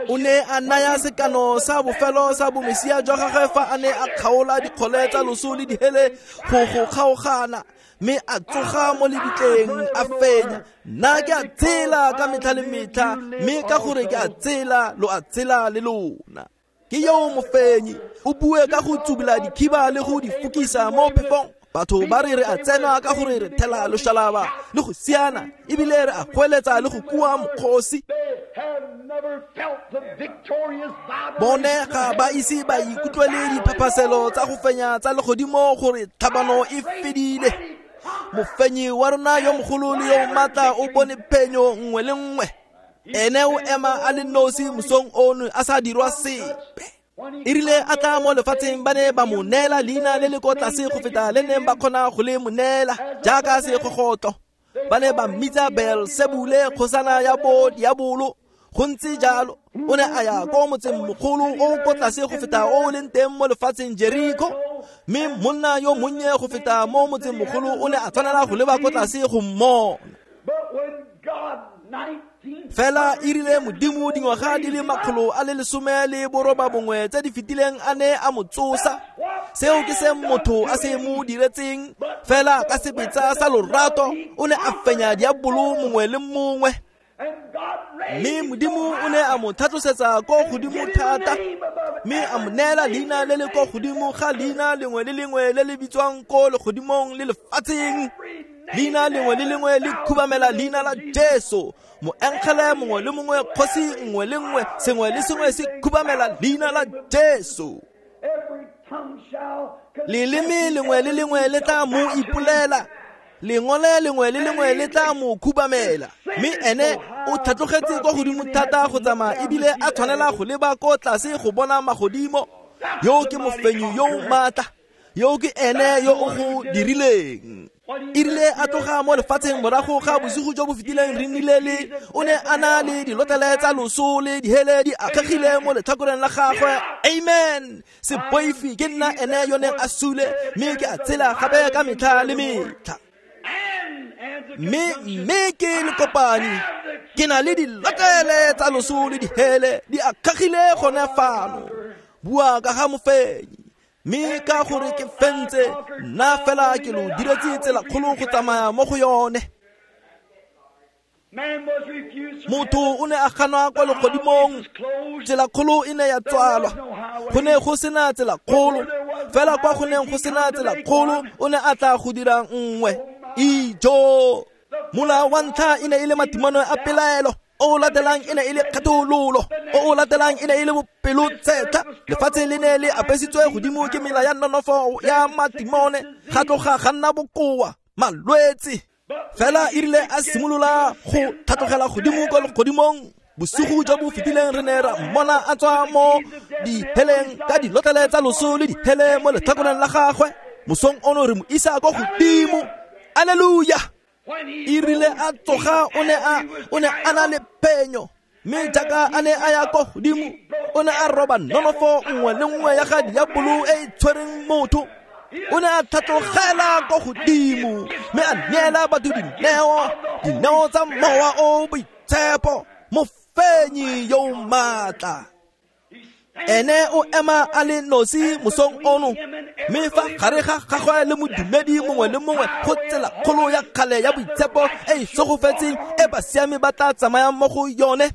O ne a naya sekano sa bofelo sa bomesia jwa gagwe fa a ne a kgaola dikgole tsa loso le dihele go go kgaogana, mme a tsoga mo lebitleng a fenya. Nna ke a tshela ka metlha le metlha, mme ka gore ke a tshela, lo a tshela le lona. Ke yo mofenyi, o bue ka go tsubula dikhiba le go di fokisa mo phefong. Batho ba re re a tsena ka gore re thela loshalaba le go siana, ebile re a goeletsa le go kua mokgosi. Bone ga ba ise ba ikutlwele diphaphaselo tsa go fenya tsa legodimo gore tlhabano e fedile. Mofenyi wa rona yo mogolo le yo maatla o bone phenyo nngwe le nngwe. Ene o ema a le nosi mosong ono a sa dirwa sepe. Erile a tla mo lefatsheng, ba ne ba mo neela leina le le ko tlase go feta le neng ba kgona go le mo neela, jaaka segogotlo. Ba ne ba mmitsa Beelsebule, kgosana ya bo diabolo. Go ntse jalo, o ne a ya ko motseng mogolo o ko tlase go feta o o leng teng mo lefatsheng, Jeriko. Mme monna yo monnye go feta mo motseng mogolo o ne a tshwanela go leba ko tlase go mmona. Fela erile Modimo dingwaga di le makgolo a le lesome le boroba bongwe tse di fetileng a ne a mo tsosa. Seo ke se motho a se mo diretseng. Fela ka sebetsa sa lorato o ne a fenya diabolo mongwe le mongwe. Mme Modimo o ne a mo tlhatlosetsa ko godimo thata, mme a mo neela leina le le ko godimo ga leina lengwe le lengwe le le bitswang ko legodimong le lefatsheng. Leina lengwe le lengwe le khubamela leina la Jesu. Moengele mongwe le mongwe, kgosi nngwe le nngwe, sengwe le sengwe se khubamela leina la Jesu. Leleme lengwe le lengwe le tla mo ipolela, lengole lengwe le lengwe le tla mo khubamela. Mme ene o tlhatlogetse kwa godimo thata go tsamaya, ebile a tshwanela go leba ko tlase go bona magodimo. Yo ke mofenyi yo o maatla, yo ke ene yo o go dirileng. Erile a tloga mo lefatsheng morago ga bosigo jo bo fetileng, re nnile le o ne a na le dilotlele tsa loso le dihele di akgegile mo letlhakoreng la gagwe. Amen. Se boife, ke nna ene yo neng a sule, mme ke a tshela gape ka metlha le metlha. Mme mme ke lekopane, ke na le dilotlele tsa loso le dihele di akgegile gone fano. Bua ka ga mofenyi, mme ka gore ke fentse, nna fela ke lo diretse tsela kgolo go tsamaya mo go yone. Motho o ne a ganwa kwa legodimong, tsela kgolo e ne ya tswalwa. Go ne go sena tsela kgolo, fela kwa go neng go sena tsela kgolo, o ne a tla go dira nngwe. Ijo! Mola wa ntlha e ne e le matimano a pelaelo, o o latelang e ne e le kgethololo, o o latelang e ne e le bopelotshetlha. Lefatshe le ne le apesitswe godimo ke mela ya nonofo ya matimone, ga tloga ga nna bokoa, malwetse. Fela erile a simolola go tlhatlogela godimo kwa legodimong, Bosigo jo bo fetileng re ne ra mmona a tswa mo diheleng ka dilotlele tsa loso le dihele mo letlhakoreng la gagwe. Mosong ono re mo isa ko godimo. Alleluia. E rile a tsoga o ne a o ne a na le phenyo, mme jaaka a ne a ya ko godimo o ne a roba nonofo nngwe le nngwe ya ga diabolo e e tshwereng motho. O ne a tlhatlogela ko godimo mme a neela batho dineo, dineo tsa mowa o boitshepo, mofenyi yo o maatla. Ene o ema a le nosi mosong ono, mme fa gare ga gagwe le modumedi mongwe le mongwe go tsela kgolo ya kgale ya boitshepo e e segofetseng e basiami ba tla tsamayang mo go yone.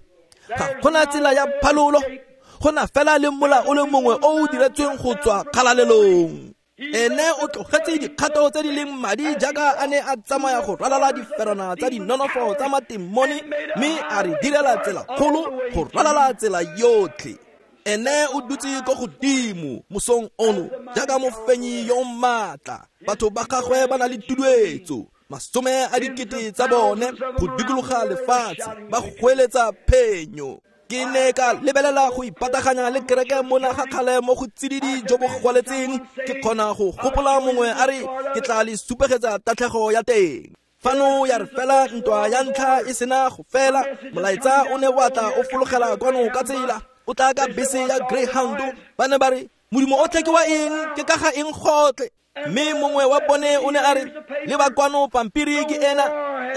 Ga gona tsela ya phalolo, go na fela le mola o le mongwe o o diretsweng go tswa kgalalelong. Ene o tlogetse dikgato tse di leng madi jaaka a ne a tsamaya go ralala diferana tsa dinonofo tsa matimone, mme a re direla tsela kgolo go ralala tsela yotlhe. Ene o dutse ko godimo mosong ono jaaka mofenyi yo o maatla. Batho ba gagwe ba na le tuduetso, masome a dikete tsa bone go dikologa lefatshe ba goeletsa phenyo. Ke ne ka lebelela go ipataganya le kereke mona ga kgale mo go tsididi jo bo gwaletseng. Ke kgona go gopola mongwe a re ke tla le supegetsa tatlhego ya teng. Fano ya re fela ntwa ya ntlha e sena go fela, molaetsa o ne wa tla o fologela kwano ka tsela o tla ka bese ya Greyhound. Ba ne ba re modimo o tle ke wa eng, ke ka ga eng gotlhe. Mme mongwe wa bone o ne a re le ba kwano pampiri ke ena,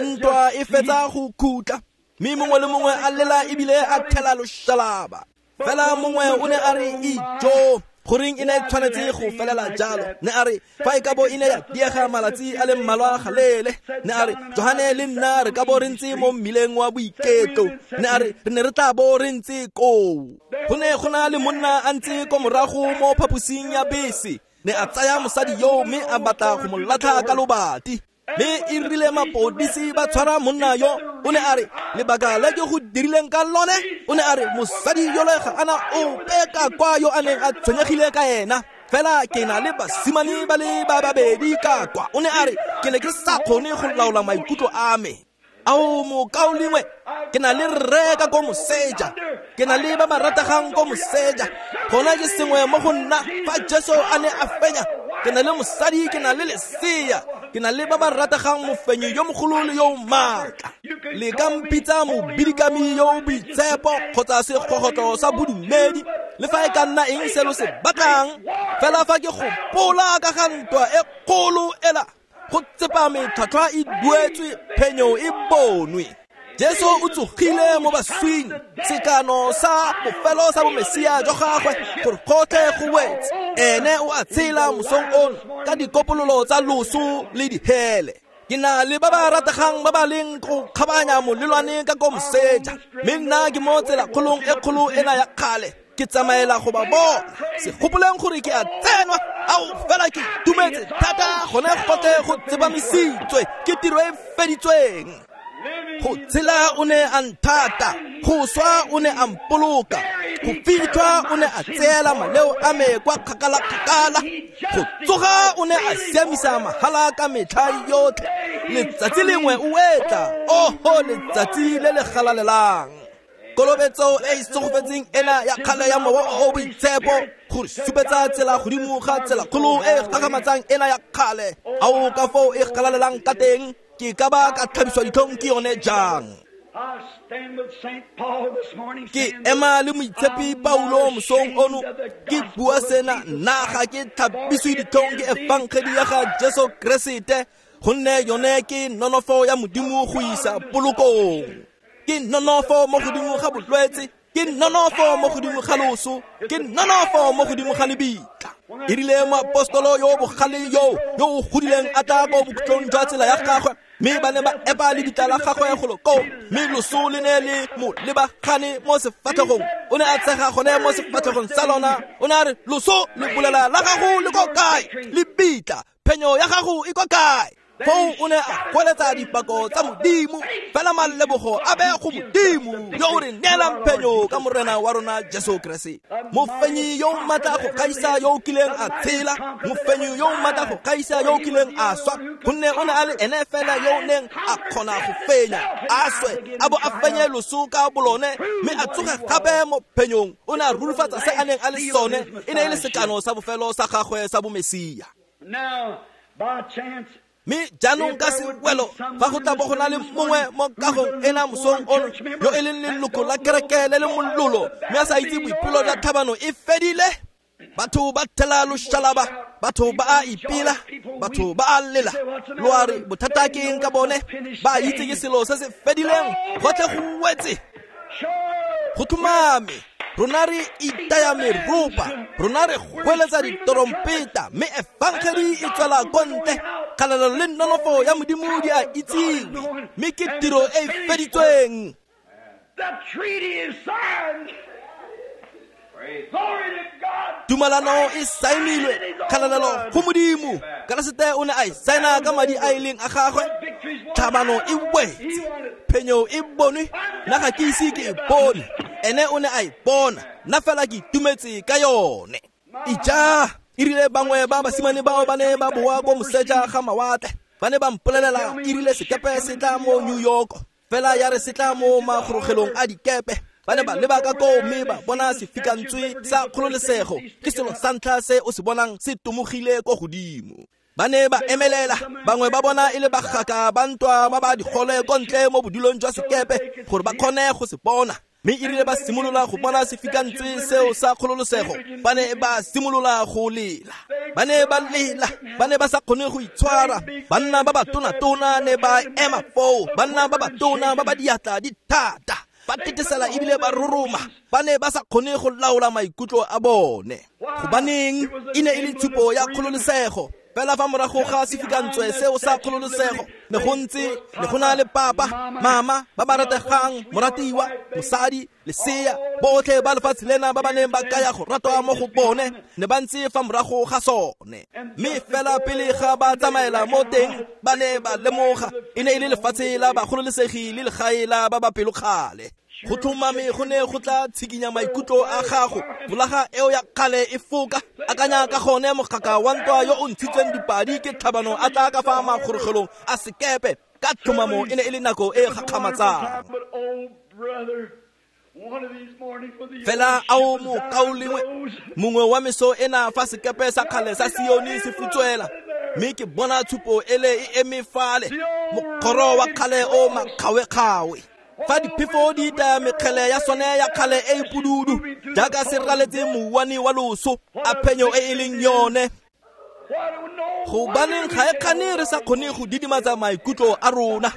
ntwa e fetsa go khutla. Mme mongwe le mongwe a lela ebile a thela loshalaba. Fela mongwe o ne a re ijo, goreng e ne e tshwanetse go felela jalo. Ne a re fa e ka bo e ne ya diega malatsi a le mmalwa galele. Ne a re Johane le nna re ka bo re ntse mo mmileng wa boiketlo. Ne a re re ne re tla bo re ntse koo. Go ne go na le monna a ntse ko morago mo phaposing ya bese. Ne a tsaya mosadi yo mme a batla go mo latlha ka lobati. Mme e rile mapodisi ba tshwara monna yo, o ne a re lebaka le ke go dirileng ka lone, o ne a re mosadi yole ga ana ope ka kwa yo a neng a tshwenyegile ka ena, fela ke na le basimane ba le ba babedi ka kwa. O ne a re ke ne ke sa kgone go laola maikutlo a me. Ao mokaulengwe, ke na le rre ka ko moseja, ke na le ba ba rategang ko moseja. Gona ke sengwe mo go nna fa Jesu a ne a fenya. Ke na le mosadi, ke na le lesea, ke na le ba ba rategang, mofenyi yo mogolo le yo maatla. Le ka mpitsa mobidikami yo boitshepo kgotsa segogotlo sa bodumedi, le fa e ka nna eng se lo se batlang. Fela fa ke gopola ka ga ntwa e kgolo ela, go tsepame tlhwatlhwa e duetswe, phenyo e bonwe. Jesu o tsogile mo baswing, sekano sa bofelo sa bomesia jwa gagwe gore gotlhe go wetse. Ene o a tshela mosong ono ka dikopololo tsa loso le dihele. Ke na le ba ba rategang ba ba leng go kgabanya molelwane ka ko moseja, mme nna ke mo tsela kgolong e kgolo ena ya kgale. Ke tsamaela go ba bona. Se gopoleng gore ke a tsenwa, ao fela ke itumetse thata gone gotlhe go tsepamisitswe ke tiro e feditsweng. Go tshela o ne a nthata, go swa o ne a mpoloka, go fitlhwa o ne a tseela maleo a me kwa kgakala-kgakala, go tsoga o ne a siamisa mahala ka metlha yotlhe. Letsatsi lengwe o etla, oho letsatsi le le galalelang. Kolobetso e e segofetseng ena ya kgale ya mowa o o boitshepo go re supetsa tsela godimo ga tsela kgolo e gagamatsang ena ya kgale. Ao ka foo e galalelang ka teng, ke ka ba ka tlhabiswa ditlhong ke yone jang. Ke ema le moitshepi Paulo mosong ono, ke bua sena, nna ga ke tlhabiswe ditlhong ke efangedi ya ga Jesu Keresete, gonne yone ke nonofo ya Modimo go isa polokong. Ke nonofo mo godimo ga bolwetse, ke nonofo mo godimo ga loso, ke nonofo mo godimo ga lebitla. E rile moapostolo yo bogale yo yo o godileng a tla ko bokhutlong jwa tsela ya gagwe, mme ba ne ba epa lebitla la gagwe golo koo, mme loso le ne le mo lebagane mo sefatlhegong. O ne a tshega gone mo sefatlhegong sa lona. O ne a re loso le bolela la gago le ko kae, lebitla phenyo ya gago e ko kae? Foo o ne a goeletsa dipako tsa Modimo, fela malebogo a be go Modimo yo o re neelang phenyo ka Morena wa rona Jesu Keresete. Mofenyi yo o maatla go gaisa yo o kileng a tshela, mofenyi yo o maatla go gaisa yo o kileng a swa, gonne o ne a le ene fela yo o neng a kgona go fenya, a swe, a bo a fenye loso ka bolone, mme a tsoge gape mo phenyong. O ne a rurifatsa se a neng a le sone, e ne e le sekano sa bofelo sa gagwe sa bomesia. Now, by chance, Mme jaanong ka sewelo fa go tla bo go na le mongwe mo kagong ena mosong ono yo e leng leloko la kereke le le mololo, mme a sa itse boipelo jwa tlhabano e fedile. Batho ba thela loshalaba, batho ba a ipela, batho ba a lela. Lo a re bothata ke eng ka bone? Ba itse ke selo se se fedileng, gotlhe go wetse. Go tlhomame, rona re itaya meropa, rona re goeletsa ditorompeta, mme efangedi e tswela ko ntle. Kgalalelo le nonofo ya Modimo di a itsiwe, mme ke tiro e e feditsweng. The treaty is signed. Glory to God. Tumalano e saenilwe, kgalalelo go Modimo. Keresete o ne a e saena ka madi a e leng a gagwe. Tlhabano e wetse, phenyo e bonwe, nna ga ke ise ke e bone. Ene o ne a e bona, nna fela ke itumetse ka yone. Ija, e rile bangwe ba basimane bao ba ne ba boa ko moseja ga mawatle, ba ne ba mpolelela e rile sekepe se tla mo New York, fela ya re se tla mo magorogelong a dikepe. Ba ne ba leba ka koo mme ba bona sefikantswe sa kgololesego, ke selo sa ntlha se o se bonang se tomogile ko godimo. Ba ne ba emelela, bangwe ba bona e le bagaka ba ntwa ba ba digole ko ntle mo bodulong jwa sekepe gore ba kgone go se bona. Mme e rile ba simolola go bona sefikantswe seo sa kgololosego, ba ne ba simolola go lela. Ba ne ba lela, ba ne ba sa kgone go itshwara. Banna ba ba tona-tona ne ba ema foo, banna ba ba tona ba ba diatla di thata, ba tetesela ebile ba roroma. Ba ne ba sa kgone go laola maikutlo a bone. Gobaneng e ne e le tshupo ya kgololosego. Fela fa morago ga sefikantswe seo sa kgololosego, ne go ntse ne go na le papa, mama ba ba rategang, moratiwa, mosadi, lesea, botlhe ba lefatshe lena ba ba neng ba kaya go ratwa mo go bone, ne ba ntse fa morago ga sone. Mme fela pele ga ba tsamaela mo teng, ba ne ba lemoga e ne e le lefatshe la bagololesegi le legae la ba ba pelokgale. Go tlhomame go ne go tla tshikinya maikutlo a gago, folaga eo ya kgale e foka. Akanya ka gone mogaka wa ntwa yo o ntshitsweng dipadi ke tlhabano a tla ka fa magorogelong a sekepe. Ka tlhomamo e ne e le nako e gakgamatsang. Fela ao mokaulengwe, mongwe wa meso ena fa sekepe sa kgale sa Sione se futswela, mme ke bona tshupo ele e eme fale, mokgoro wa kgale o makgawe-kgawe. Fa diphefo di itaya mekgele ya sone ya kgale e e pududu, jaaka se raletse mouwane wa loso, a phenyo e e leng yone. Gobaneng ga e kgane re sa kgone go didimatsa maikutlo a rona.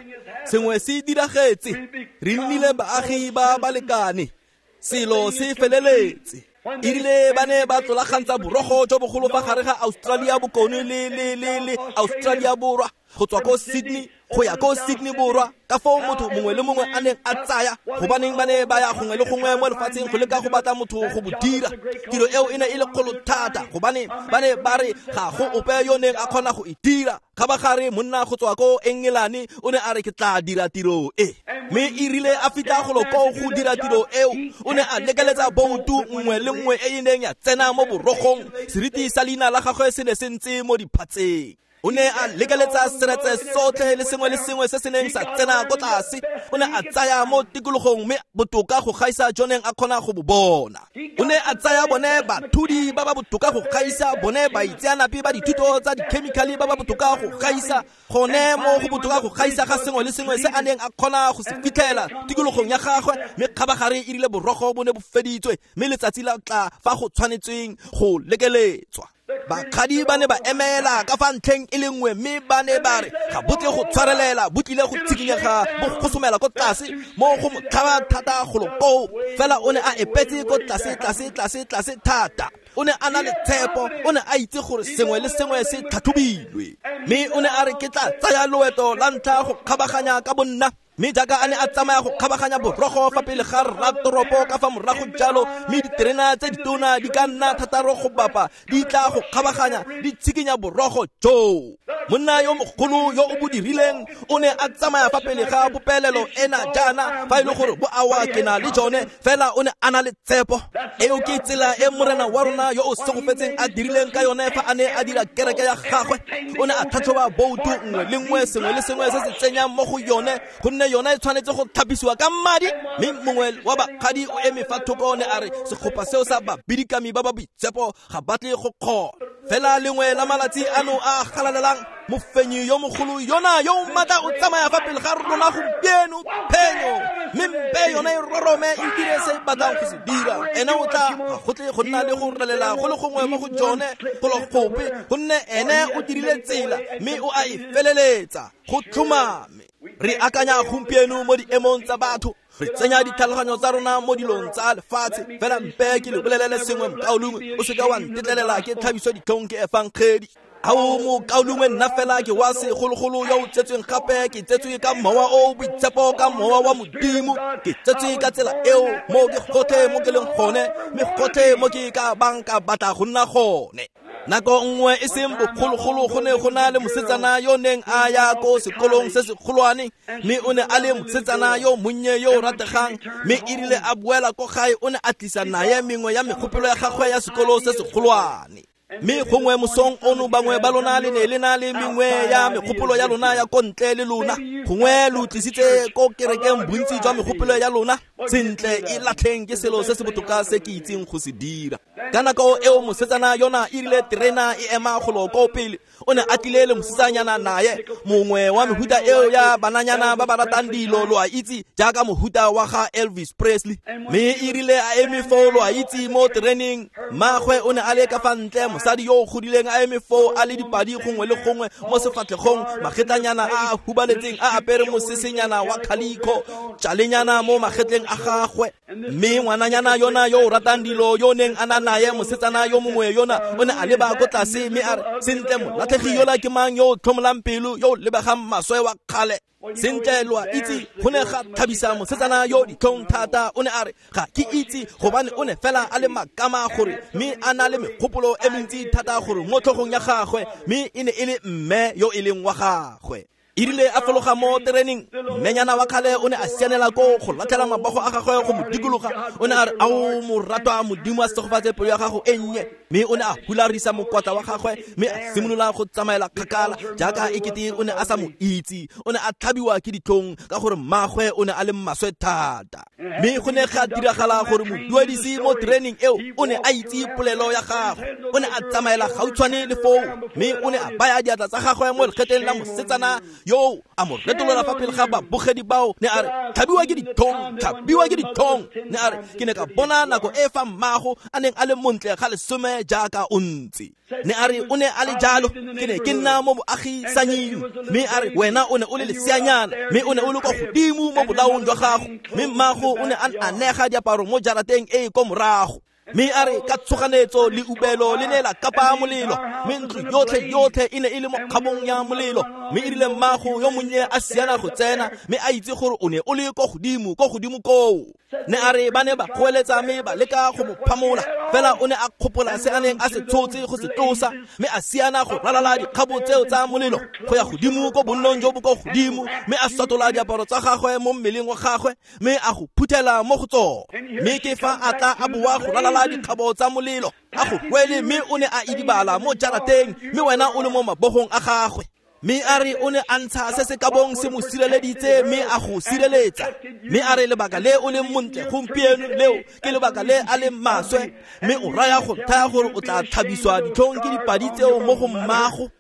Sengwe se diragetse, re nnile baagi ba balekane, selo se feleletse. E rile ba ne ba tlolagantsa borogo jo bogolo fa gare ga Australia Bokone le le le le Australia Borwa, go tswa ko Sydney go ya ko Sydney Borwa, ka foo motho mongwe le mongwe a neng a tsaya. Gobaneng ba ne ba ya gongwe le gongwe mo lefatsheng go leka go batla motho go bo dira. Tiro eo e ne e le kgolo thata, gobane ba ne ba re ga go ope yo neng a kgona go e dira. Kgabagare monna go tswa ko Engelane o ne a re ke tla dira tiro e, mme e rile a fitlha golo koo go dira tiro eo, o ne a lekeletsa boutu nngwe le nngwe e e neng ya tsena mo borogong. Seriti sa leina la gagwe se ne se ntse mo diphatseng. O ne a lekeletsa seretse sotlhe le sengwe le sengwe se se neng sa tsena ko tlase. O ne a tsaya mo tikologong mme botoka go gaisa jo neng a kgona go bo bona. O ne a tsaya bone bathudi ba ba botoka go gaisa, bone baitseanape ba dithuto tsa dikhemikhale ba ba botoka go gaisa, gone mo go botoka go gaisa ga sengwe le sengwe se a neng a kgona go se fitlhela tikologong ya gagwe. Mme kgabagare e rile borogo bo ne bo feditswe, mme letsatsi la tla fa go tshwanetsweng go lekeletswa. Bakgadi ba ne ba emela ka fa ntlheng e le nngwe, mme ba ne ba re ga bo tle go tshwarelela, bo tlile go tshikinyega, bo gosomela ko tlase mo go mo tlhaba thata golo koo. Fela o ne a epetse ko tlase tlase tlase tlase thata. O ne a na le tshepo, o ne a itse gore sengwe le sengwe se tlhatlhobilwe, mme o ne a re ke tla tsaya loeto la ntlha go kgabaganya ka bonna. Mme jaaka a ne a tsamaya go kgabaganya borogo fa pele ga rratoropo ka fa morago jalo, mme diterena tse ditona di ka nna thataro go bapa di tla go kgabaganya di tshikinya borogo joo. Monna yo mogolo yo o bo dirileng o ne a tsamaya fa pele ga popelelo ena jaana fa e le gore bo awa ke na le jone fela o ne a na le tshepo. Eo ke tsela e morena wa rona yo o segofetseng a dirileng ka yone fa a ne a dira kereke ya gagwe. O ne a tlhatlhoba boutu nngwe le nngwe, sengwe le sengwe se se tsenyang mo go yone, gonne yone e tshwanetse go tlhapisiwa ka madi. Mme mongwe wa bakgadi o eme fa thoko ne a re segopa seo sa babidikami ba ba boitshepo ga batle go kgona. Fela lengwe la malatsi ano a galalelang, mofenyi yo mogolo yona yo o maatla o tsamaya fa pele ga rona gompieno, phenyo mme mpe yone e rorome e dire se e batlang go se dira. Ene o tla ga go tle go nna le go relela go le gongwe mo go jone golo gope, gonne ene o dirile tsela mme o a e feleletsa go tlhomame. Re akanya gompieno mo diemong tsa batho, re tsenya ditlhaloganyo tsa rona mo dilong tsa lefatshe. Fela mpe ke le bolelele sengwe mokaulengwe, o seka wa ntetlelela ke tlhabiso ditlhong ke efangedi. Ao mokaulengwe, nna fela ke wa segologolo yo o tsetsweng gape, ke tsetswe ka mowa o boitshepo, ka mowa wa Modimo. Ke tsetswe ka tsela eo mo ke gotlhe mo ke leng gone, mme gotlhe mo ke ka bang ka batla go nna gone. Nako nngwe e seng bogologolo go ne go na le mosetsana yo neng a ya ko sekolong se segolwane, mme o ne a le mosetsana yo monnye yo o rategang. Mme e rile a boela ko gae o ne a tlisa naye mengwe ya megopolo ya gagwe ya sekolo se segolwane. Mme gongwe mosong ono bangwe ba lona le ne le na le mengwe ya megopolo ya lona ya ko ntle le lona, gongwe lo tlisitse ko kerekeng bontsi jwa megopolo ya lona. Sentle, e latlheng ke selo se se botoka se ke itseng go se dira. Ka nako eo mosetsana yona e rile terena e ema golo ko pele, o ne a tlile le mosetsanyana naye, mongwe wa mehuta eo ya bananyana ba ba ratang dilo, lo a itse, jaaka mohuta wa ga Elvis Presley. Mme e rile a eme foo, lo a itse, mo tereneng, mmagwe o ne a le ka fa ntle, mosadi yo o godileng a eme foo a le dipadi gongwe le gongwe mo sefatlhegong, magetlanyana a a hubaletseng a apere mosesenyana wa khalikho, tšalenyana mo magetleng a gagwe. Mme ngwananyana yona yo o ratang dilo yo neng a na naye, mosetsana yo mongwe yona, o ne a leba ko tlase mme a re, sentle, molatlhegi yola ke mang yo o tlhomolang pelo, yo o lebegang maswe wa kgale? Sentle, lo a itse, go ne ga thabisa mosetsana yo ditlhong thata. O ne a re, ga ke itse, gobane o ne fela a le makama gore mme a na le megopolo e mentsi thata gore mo tlhogong ya gagwe, mme e ne e le mme yo e leng wa gagwe. E rile a fologa mo tereneng, mmenyana wa kgale o ne a sianela ko go latlhela mabogo a gagwe go mo dikologa. O ne a re, ao moratwa, Modimo a segofatse pelo ya gago e nnye. Mme o ne a hularisa mokwatla wa gagwe mme a simolola go tsamaela kgakala jaaka ekete o ne a sa mo itse. O ne a tlhabiwa ke ditlhong ka gore mmagwe o ne a le maswe thata. Mme go ne ga diragala gore moduedisi mo tereneng eo o ne a itse polelo ya gagwe. O ne a tsamaela gautshwane le foo, mme o ne a baya diatla tsa gagwe mo lekgetleng la mosetsana yo a mo retolola fa pele ga babogedi bao. Ne a re, tlhabiwa ke ditlhong, tlhabiwa ke ditlhong. Ne a re, ke ne ka bona nako e fa mmago a neng a le montle ga lesome jaaka o ntse. Ne a re, o ne a le jalo, ke ne ke nna mo boagisanying. Mme a re, wena o ne o le leseanyana, mme o ne o le kwa godimo mo bolaong jwa gago, mme mmago o ne a anega diaparo mo jarateng e e ko morago. Mme a re, ka tshoganetso le ubelo le ne la kapa molelo, mme ntlo yotlhe yotlhe e ne e le mo kgabong ya molelo. Mme e rile mmago yo monnye a siana go tsena, mme a itse gore o ne o le ko godimo, ko godimo koo. Ne a re, ba ne ba goeletsa mme ba leka go mo phamola, fela o ne a kgopola se a neng a se tshotse go se tlosa, mme a siana go ralala dikgabo tseo tsa molelo go ya godimo ko bonnong jo bo ko godimo, mme a sotola diaparo tsa gagwe mo mmeleng wa gagwe, mme a go phuthela mo go tsone. Mme ke fa a tla a boa go ralala dikgabo tsa molelo, a go rwele, mme o ne a idibala mo jarateng, mme wena o le mo mabogong a gagwe. Mme a re o ne a ntsha se se ka bong se mo sireleditse, mme a go sireletsa. Mme a re lebaka le o leng montle gompieno leo ke lebaka le a leng maswe, mme o raya go thaya gore o tla tlhabiswa ditlhong ke dipadi tseo mo go mmago.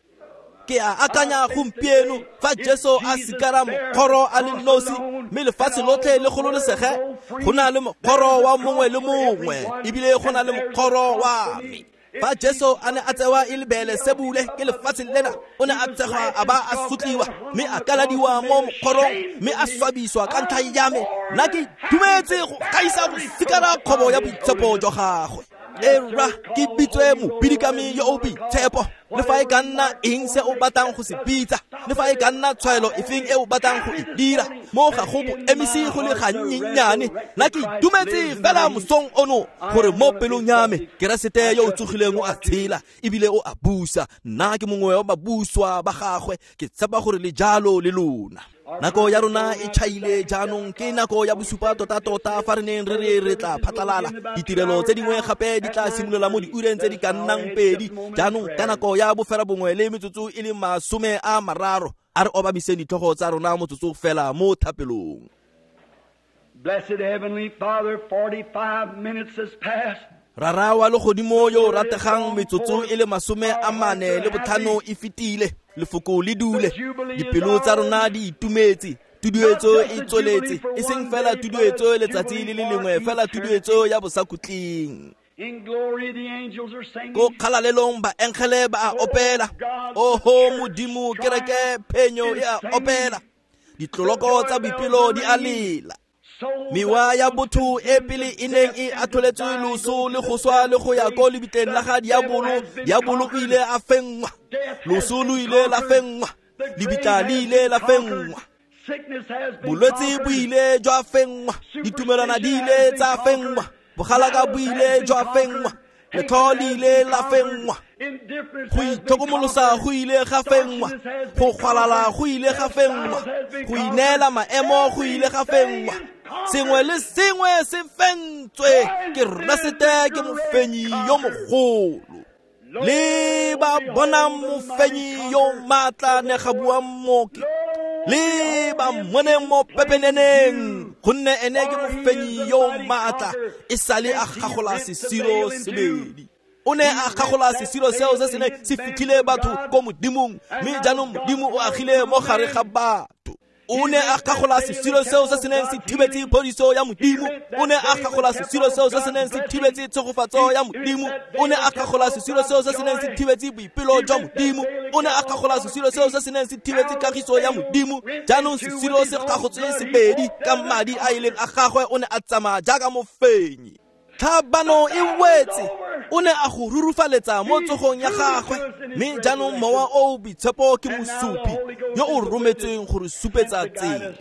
Ke a akanya gompieno fa Jesu a sikara mokgoro a le nosi, mme lefatshe lotlhe le gololesege, go na le mokgoro wa mongwe le mongwe, ebile go na le mokgoro wa me. Fa Jesu a ne a tsewa e le Beelesebule ke lefatshe lena, o ne a tsegwa a ba a sotliwa, mme a kaladiwa mo mokgorong, mme a swabiswa ka ntlha ya me. Nna ke itumetse go gaisa go sikara kgobo ya boitshepo jwa gagwe. Era ke bitswe mobidikami yo o boitshepo, Le fa e ka nna eng se o batlang go se bitsa, le fa e ka nna tshwaelo efeng e o batlang go e dira, mo ga go bo emise go le gannyennyane. Nna ke itumetse fela mosong ono gore mo pelong ya me Keresete yo o tsogileng o a tshela ebile o a busa. Nna ke mongwe wa babuswa ba gagwe, ke tshepa gore le jalo le lona. Nako ya rona e tšhaile jaanong, ke nako ya bosupa tota-tota fa re neng re re re tla phatlalala. Ditirelo tse dingwe gape di tla simolola mo diureng tse di ka nnang pedi. Jaanong ka nako ya bofera bongwe le metsotso e le masome a mararo, a re obamiseng ditlhogo tsa rona motsotso fela mo thapelong. Blessed Heavenly Father, forty-five minutes has passed. Rara wa legodimo yo o rategang, metsotso e le masome a mane le botlhano e fetile. Lefoko le dule, dipelo tsa rona di itumetse, tuduetso e tsweletse, e seng fela tuduetso letsatsi le le lengwe, fela tuduetso ya bosakhutleng. Ko kgalalelong baengele ba a opela, oho Modimo, kereke phenyo e a opela, ditloloko tsa boipelo di a lela. Mewa ya botho e pele e neng e atholetswe loso le go swa le go ya ko lebitleng la ga diabolo, diabolo o ile a fenngwa, loso lo ile la fenngwa, lebitla le ile la fenngwa, bolwetse bo ile jwa fenngwa, ditumelwana di ile tsa fenngwa, bogalaka bo ile jwa fenngwa, letlho le ile la fenngwa, go itlhokomolosa go ile ga fenngwa, go gwalala go ile ga fenngwa, go ineela maemo go ile ga fenngwa. Sengwe le sengwe se fentswe ke Keresete, ke mofenyi yo mogolo. Le ba bonang mofenyi yo maatla ne ga bua mmoki, le ba mmoneng mo pepeneneng, gonne ene ke mofenyi yo maatla, e sale a gagola sesiro sebedi. O ne a gagola sesiro seo se se neng se fitlhile batho ko Modimong, mme jaanong Modimo o agile mo gare ga batho. O ne a gagola sesiro seo se se neng se thibetse phodiso ya Modimo. O ne a gagola sesiro seo se se neng se thibetse tshegofatso ya Modimo. O ne a gagola sesiro seo se se neng se thibetse boipelo jwa Modimo. O ne a gagola sesiro seo se se neng se thibetse kagiso ya Modimo. Jaanong sesiro se gagotswe sebedi ka madi a ileng a gagwe, o ne a tsamaya jaaka mofenyi. Tlhabano e wetse, o ne a go rurufaletsa mo tsogong ya gagwe, mme jaanong mowa o o boitshepo ke mosupi yo o rometsweng go re supetsa tsela.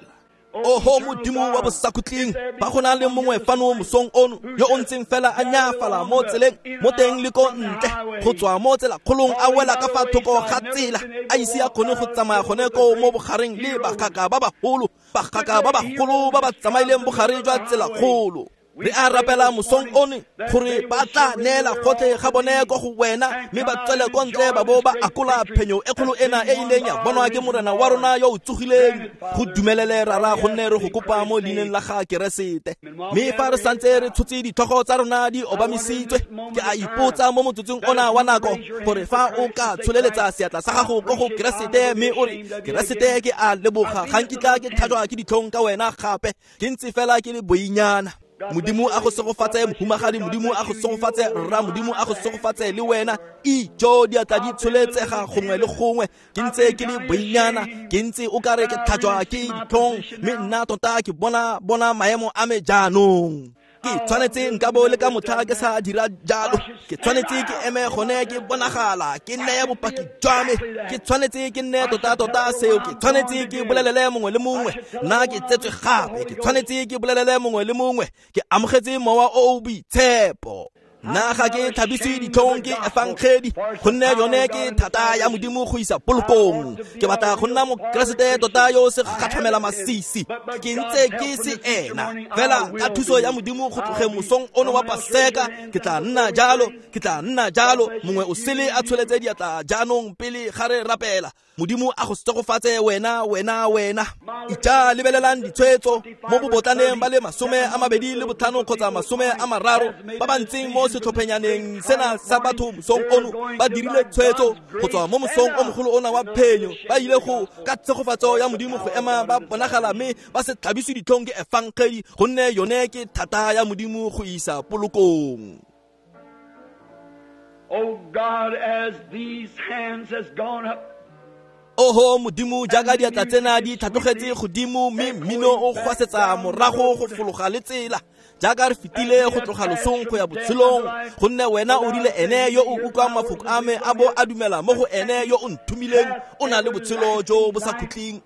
Oho Modimo wa bosakhutleng, ba go na le mongwe fano mosong ono yo o ntseng fela a nyaafala mo tseleng, mo teng le ko ntle, go tswa mo tselakgolong a wela ka fa thoko ga tsela, a ise a kgone go tsamaya gone koo mo bogareng le bagaka ba bagolo, bagaka ba bagolo ba ba tsamaileng bogare jwa tselakgolo. Re a rapela mosong one gore ba tla neela gotlhe ga bone ko go wena, mme ba tswele ko ntle ba bo ba akola phenyo e kgolo ena e ileng ya bonwa ke Morena wa rona yo o tsogileng. Go dumelele Rara, gonne re go kopa mo leineng la ga Keresete. Mme fa re santse re tshotse ditlhogo tsa rona di obamisitswe, ke a ipotsa mo motsotsong ona wa nako gore fa o ka tsholeletsa seatla sa gago ko go Keresete mme o re, Keresete, ke a leboga, ga nkitla ke tlhajwa ke ditlhong ka wena gape, ke ntse fela ke le boinyana. Modimo a go segofatse mohumagadi, Modimo a go segofatse rra, Modimo a go segofatse le wena. Ijo diatla di tsholetsega gongwe le gongwe, ke ntse ke le boinyana, ke ntse o kare ke tlhajwa ke ditlhong, mme nna tota ke bona bona maemo a me jaanong. Ke tshwanetse nka bo le ka motlha ke sa dira jalo, ke tshwanetse ke eme gone ke bonagala, ke neye bopaki jwa me, ke tshwanetse ke nne tota-tota seo, ke tshwanetse ke bolelele mongwe le mongwe, nna ke tsetswe gape, ke tshwanetse ke bolelele mongwe le mongwe, ke amogetse mowa o o boitshepo. Nna ga ke tlhabiswe ditlhong ke efangedi, gonne yone ke thata ya Modimo go isa polokong. Ke batla go nna Mokeresete tota yo se gatlhamela masisi, ke ntse ke se ena fela ka thuso ya Modimo go tlogeng mosong ono wa Paseka, ke tla nna jalo, ke tla nna jalo. Mongwe o sele a tsholetse diatla jaanong pele ga re rapela. Modimo a go segofatse wena, wena, wena. Ija lebelelang ditshwetso mo bobotlaneng ba le masome a mabedi le botlhano kgotsa masome a mararo ba ba ntseng mo setlhophenyaneng sena sa batho mosong ono, ba dirile tshwetso go tswa mo mosong o mogolo ona wa phenyo. Ba ile go ka tshegofatso ya Modimo go ema ba bonagala mme ba se tlhabiswe ditlhong ke efangedi, gonne yone ke thata ya Modimo go isa polokong. Oh God, as these hands has gone up, Oho Modimo, jaaka diatla tsena di tlhatlogetse godimo mme mmino o gwasetsa morago go fologa le tsela, Jaaka re fetile go tloga losong go ya botshelong, gonne wena o rile ene yo o utlwang mafoko a me a bo a dumela mo go ene yo o nthomileng o na le botshelo jo bo sa khutleng.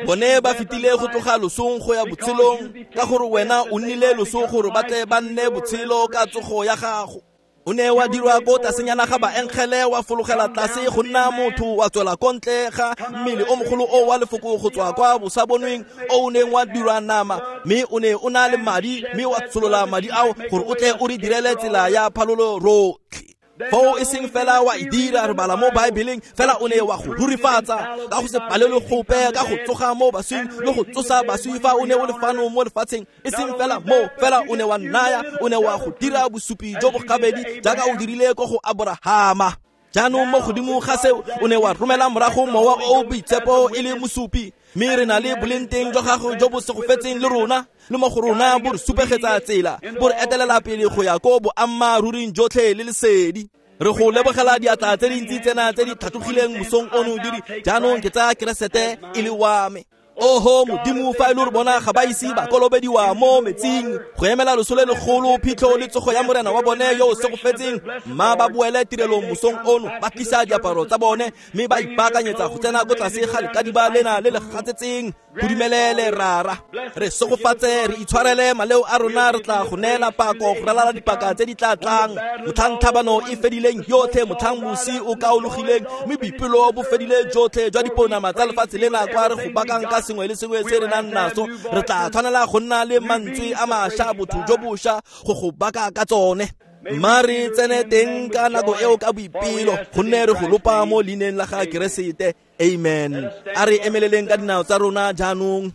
Bone ba fetile go tloga losong go ya botshelong ka gore wena o nnile loso gore ba tle ba nne botshelo ka tsogo ya gago. O ne wa dirwa ko tlasenyana ga baengele, wa fologela tlase go nna motho, wa tswela ko ntle ga mmele o mogolo o wa lefoko go tswa kwa bosabonweng o o neng wa dirwa nama, mme o ne o na le madi, mme wa tsholola madi ao gore o tle o re direle tsela ya phalolo rotlhe. Foo e seng fela wa e dira, re bala mo Baebeleng, fela o ne wa go rurifatsa ka go se palelwe gope, ka go tsoga mo baswing le go tsosa baswi fa o ne o le fano mo lefatsheng. E seng fela mo, fela o ne wa nnaya, o ne wa go dira bosupi jo bo gabedi jaaka o dirile ko go Aborahama. Jaanong mo godimo ga seo o ne wa romela morago mowa o o boitshepo e le mosupi, mme re na le boleng teng jwa gago jo bo segofetseng le rona, le mo go rona bo re supegetsa tsela, bo re etelela pele go ya ko boammaaruring jotlhe le lesedi. Re go lebogela diatla tse dintsi tsena tse di tlhatlogileng mosong ono di re jaanong ke tsaya Keresete e le wa me. Oho Modimo, fa e le gore bona ga ba ise ba kolobediwa mo metsing go emela loso le legolo, phitlho le tsogo ya Morena wa bone yo o segofetseng, mma ba boele tirelong mosong ono, ba tlisa diaparo tsa bone mme ba ipaakanyetsa go tsena ko tlase ga lekadiba lena le le gatsetseng. Go dumelele Rara, re segofatse, re itshwarele maleo a rona, re tla go neela pako go ralala dipaka tse di tla tlang. Motlhang tlhabano e fedileng yotlhe, motlhang mosi o kaologileng mme boipelo bo fedile jotlhe jwa diponama tsa lefatshe lena kwa re go bakang ka sengwe le sengwe se re nang naso, re tla tshwanela go nna le mantswe a mašwa, botho jo bošwa go go baka ka tsone. Mma re tsene teng ka nako eo ka boipelo, gonne re go lopa mo leineng la ga Keresete. Amen. A re emeleleng ka dinao tsa rona jaanong.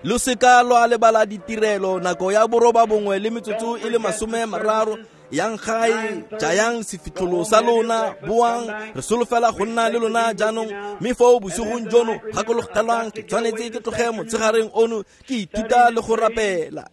Lo seka lwa lebala ditirelo nako ya boroba bongwe le metsotso e le masome mararo. Yang gae, jayang sefitlholo sa lona, boang, re solofela go nna le lona jaanong. Mme foo bosigong jono, gakologelwang, ke tshwanetse ke tloge motshegareng ono ke ithuta le go rapela.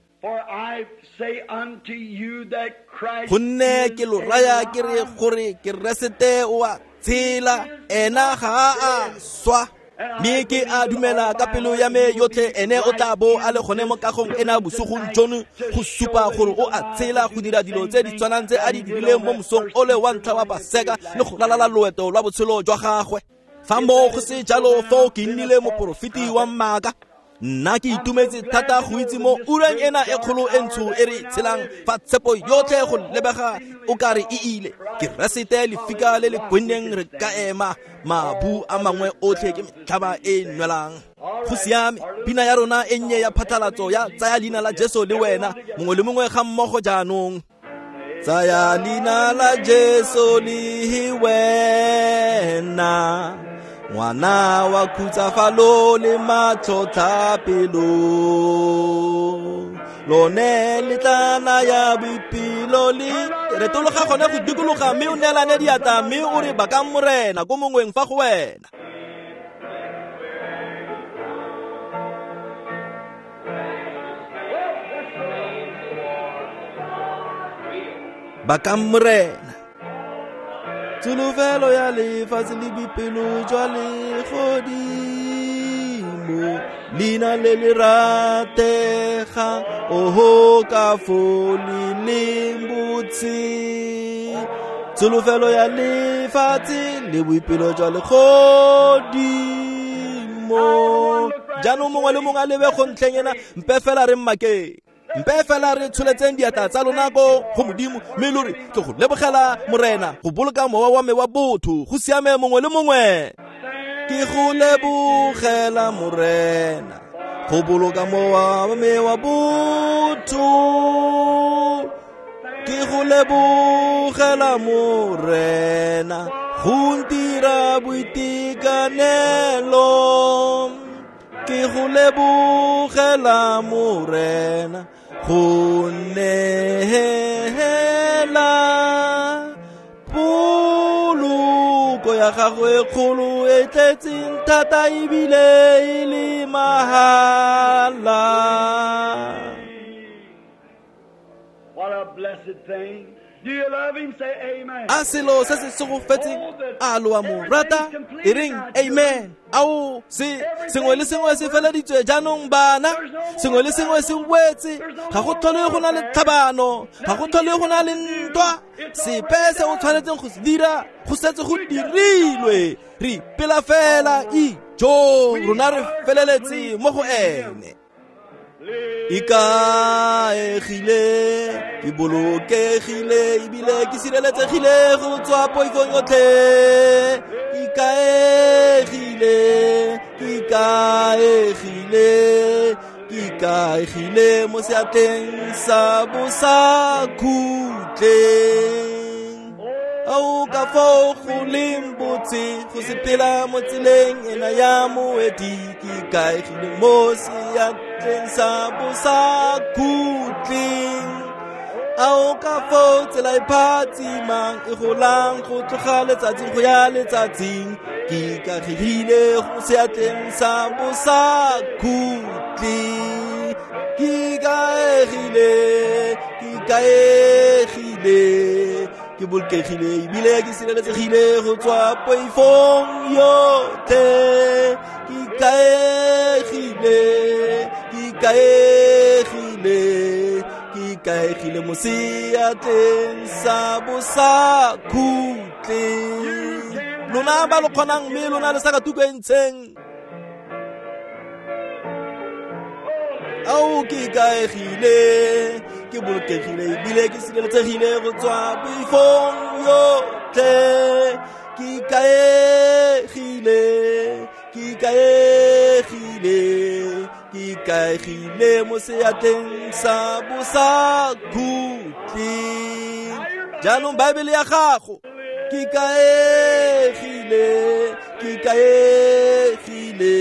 Gonne ke lo raya ke re gore Keresete o a tshela, ena ga a swa. Mme ke a dumela ka pelo ya me yotlhe ene o tla bo a le gone mo kagong ena bosigong jono go supa gore o a tshela, go dira dilo tse di tshwanang tse a di dirileng mo mosong o le wa ntlha wa Paseka le go ralala loeto lwa botshelo jwa gagwe. Fa moo go se jalo, foo ke nnile moporofeti wa maaka. Nna ke itumetse thata go itse mo ureng ena e kgolo e ntsho e re tshelang, fa tshepo yotlhe go lebega o ka re e ile. Keresete lefika le le kwenneng re ka ema, mabu a mangwe otlhe ke metlhaba e nwelang. Go siame, pina ya rona e nnye ya phatlalatso ya tsaya leina la Jesu le wena, mongwe le mongwe ga mmogo jaanong. Tsaya leina la Jesu le wena, ngwana wa khutsafalo le matlhotlhapelo, lone le tla naya boipelo le. Retologa gone go dikologa mme o neelane diatla mme o re bakang Morena ko mongweng fa go wena. Bakang Morena. Tsholofelo ya lefatshe le boipelo jwa legodimo, leina le le rategang, oho ka fo le leng botse. Tsholofelo ya lefatshe le boipelo jwa legodimo. Jaanong mongwe le mongwe a lebe go ntlheng ena, mpe fela re mmakeng. Mpe fela re tsholetseng diatla tsa lona ko go Modimo, mme lo re ke go lebogela Morena go boloka mowa wa me wa botho. Go siame mongwe le mongwe. Ke go lebogela Morena go boloka mowa wa me wa botho. Ke go lebogela Morena go ntira boitekanelo. Ke go lebogela Morena go neela poloko ya gagwe kgolo e tletseng thata ebile e le mahala. What a blessed thing. Do you A selo se se segofetseng, a lo a mo rata? E reng amen. Ao, se sengwe le sengwe se feleditswe jaanong bana, sengwe le sengwe se wetse. Ga go tlhole go na le tlhabano, ga go tlhole go na le ntwa. Sepe se o tshwanetseng go se dira go setse go dirilwe. Re ipela fela ijo, rona re feleletse mo go ene. Ikaegile, ke bolokegile, ebile ke sireletsegile go tswa poifong yotlhe. Ikaegile, ke ikaegile, ke ikaegile mo seatleng sa bosakhutleng. Ao ka fao go leng botse go sepela mo tseleng ena ya moeti, ke ikaegile mo seatleng sa bosakhutleng. Ao ka fao tsela e phatsimang e golang go tloga letsatsing go ya letsatsing, ke ikaegile go seatleng sa bosakhutleng. Ke ikaegile, ke ikaegile, ke bolokegile ebile ke sireletsegile go tswa poifong yotlhe. Ke ikaegile, ke ikaegile, ke ikaegile mo seatleng sa bosakhutleng. Lona ba lo kgonang mme lona le sa ka tuko e ntsheng. Ao, ke ikaegile, ke bolokegile ebile ke sireletsegile go tswa poifong yotlhe. Ke ikaegile, ke ikaegile, ke ikaegile mo seatleng sa bosakhutleng. Jaanong Baebele ya gago. Ke ikaegile, ke ikaegile,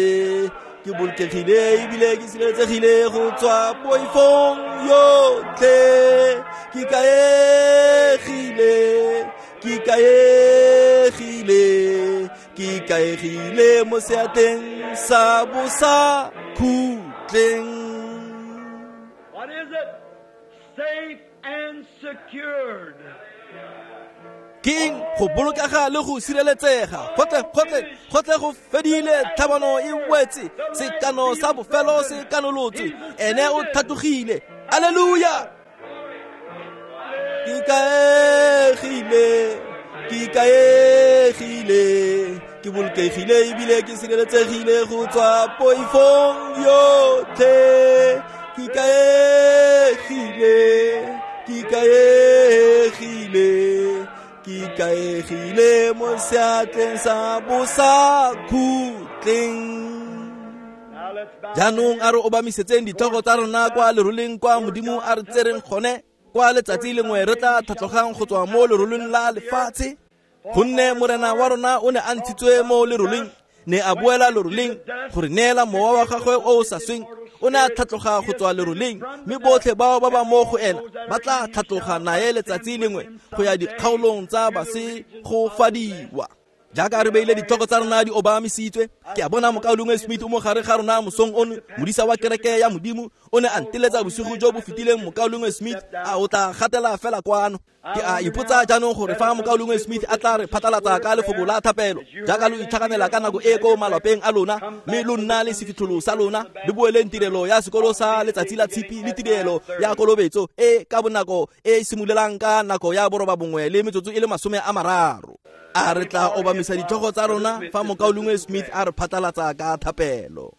ke bolokegile ebile ke sireletsegile go tswa poifong yotlhe. Ke ikaegile, ke ikaegile, ke ikaegile mo seatleng sa bosakhutleng. What is it? Safe and secured. Keng go bolokega le go sireletsega. Gotle gotle gotle go fedile, tlhabano e wetse, sekano sa bofelo se kanolotswe, ene o tlhatlogile. Alleluia. Ke ikaegile, ke ikaegile, ke bolokegile ebile ke sireletsegile go tswa poifong yotlhe. Ke ikaegile, ke ikaegile, ke ikaegile mo seatleng sa bosakhutleng. Jaanong a re obamisetseng ditlhogo tsa rona kwa leroleng kwa Modimo a re tsereng gone, kwa letsatsi lengwe re tla tlhatlogang go tswa mo leroleng la lefatshe. Gonne Morena wa rona o ne a ntshitswe mo leroleng, ne a boela leroleng go re neela mowa wa gagwe o o sa sweng. O ne a tlhatloga go tswa leroleng, mme botlhe bao ba ba mo go ena ba tla tlhatloga nae letsatsi lengwe go ya dikgaolong tsa basegofadiwa. Jaaka re beile ditlhoko tsa rona di obamisitswe, ke a bona mokaulengwe Smith o mo gare ga rona mosong ono, modisa wa kereke ya Modimo. O ne a nteletsa bosigo jo bo fetileng. Mokaulengwe Smith a o tla gatela fela kwano. Ke a ipotsa jaanong gore fa mokaulengwe Smith a tla re phatlalatsa ka lefoko la thapelo, jaaka lo itlhaganela ka nako e ko malapeng a lona, mme lo nna le sefitlholo sa lona, le boeleng tirelo ya sekolo sa letsatsi la tshipi le tirelo ya kolobetso e ka bonako e simololang ka nako ya boroba bongwe le metsotso e le masome a mararo. A re tla obamisa ditlhogo tsa rona fa mokaulengwe Smith a re phatlalatsa ka thapelo.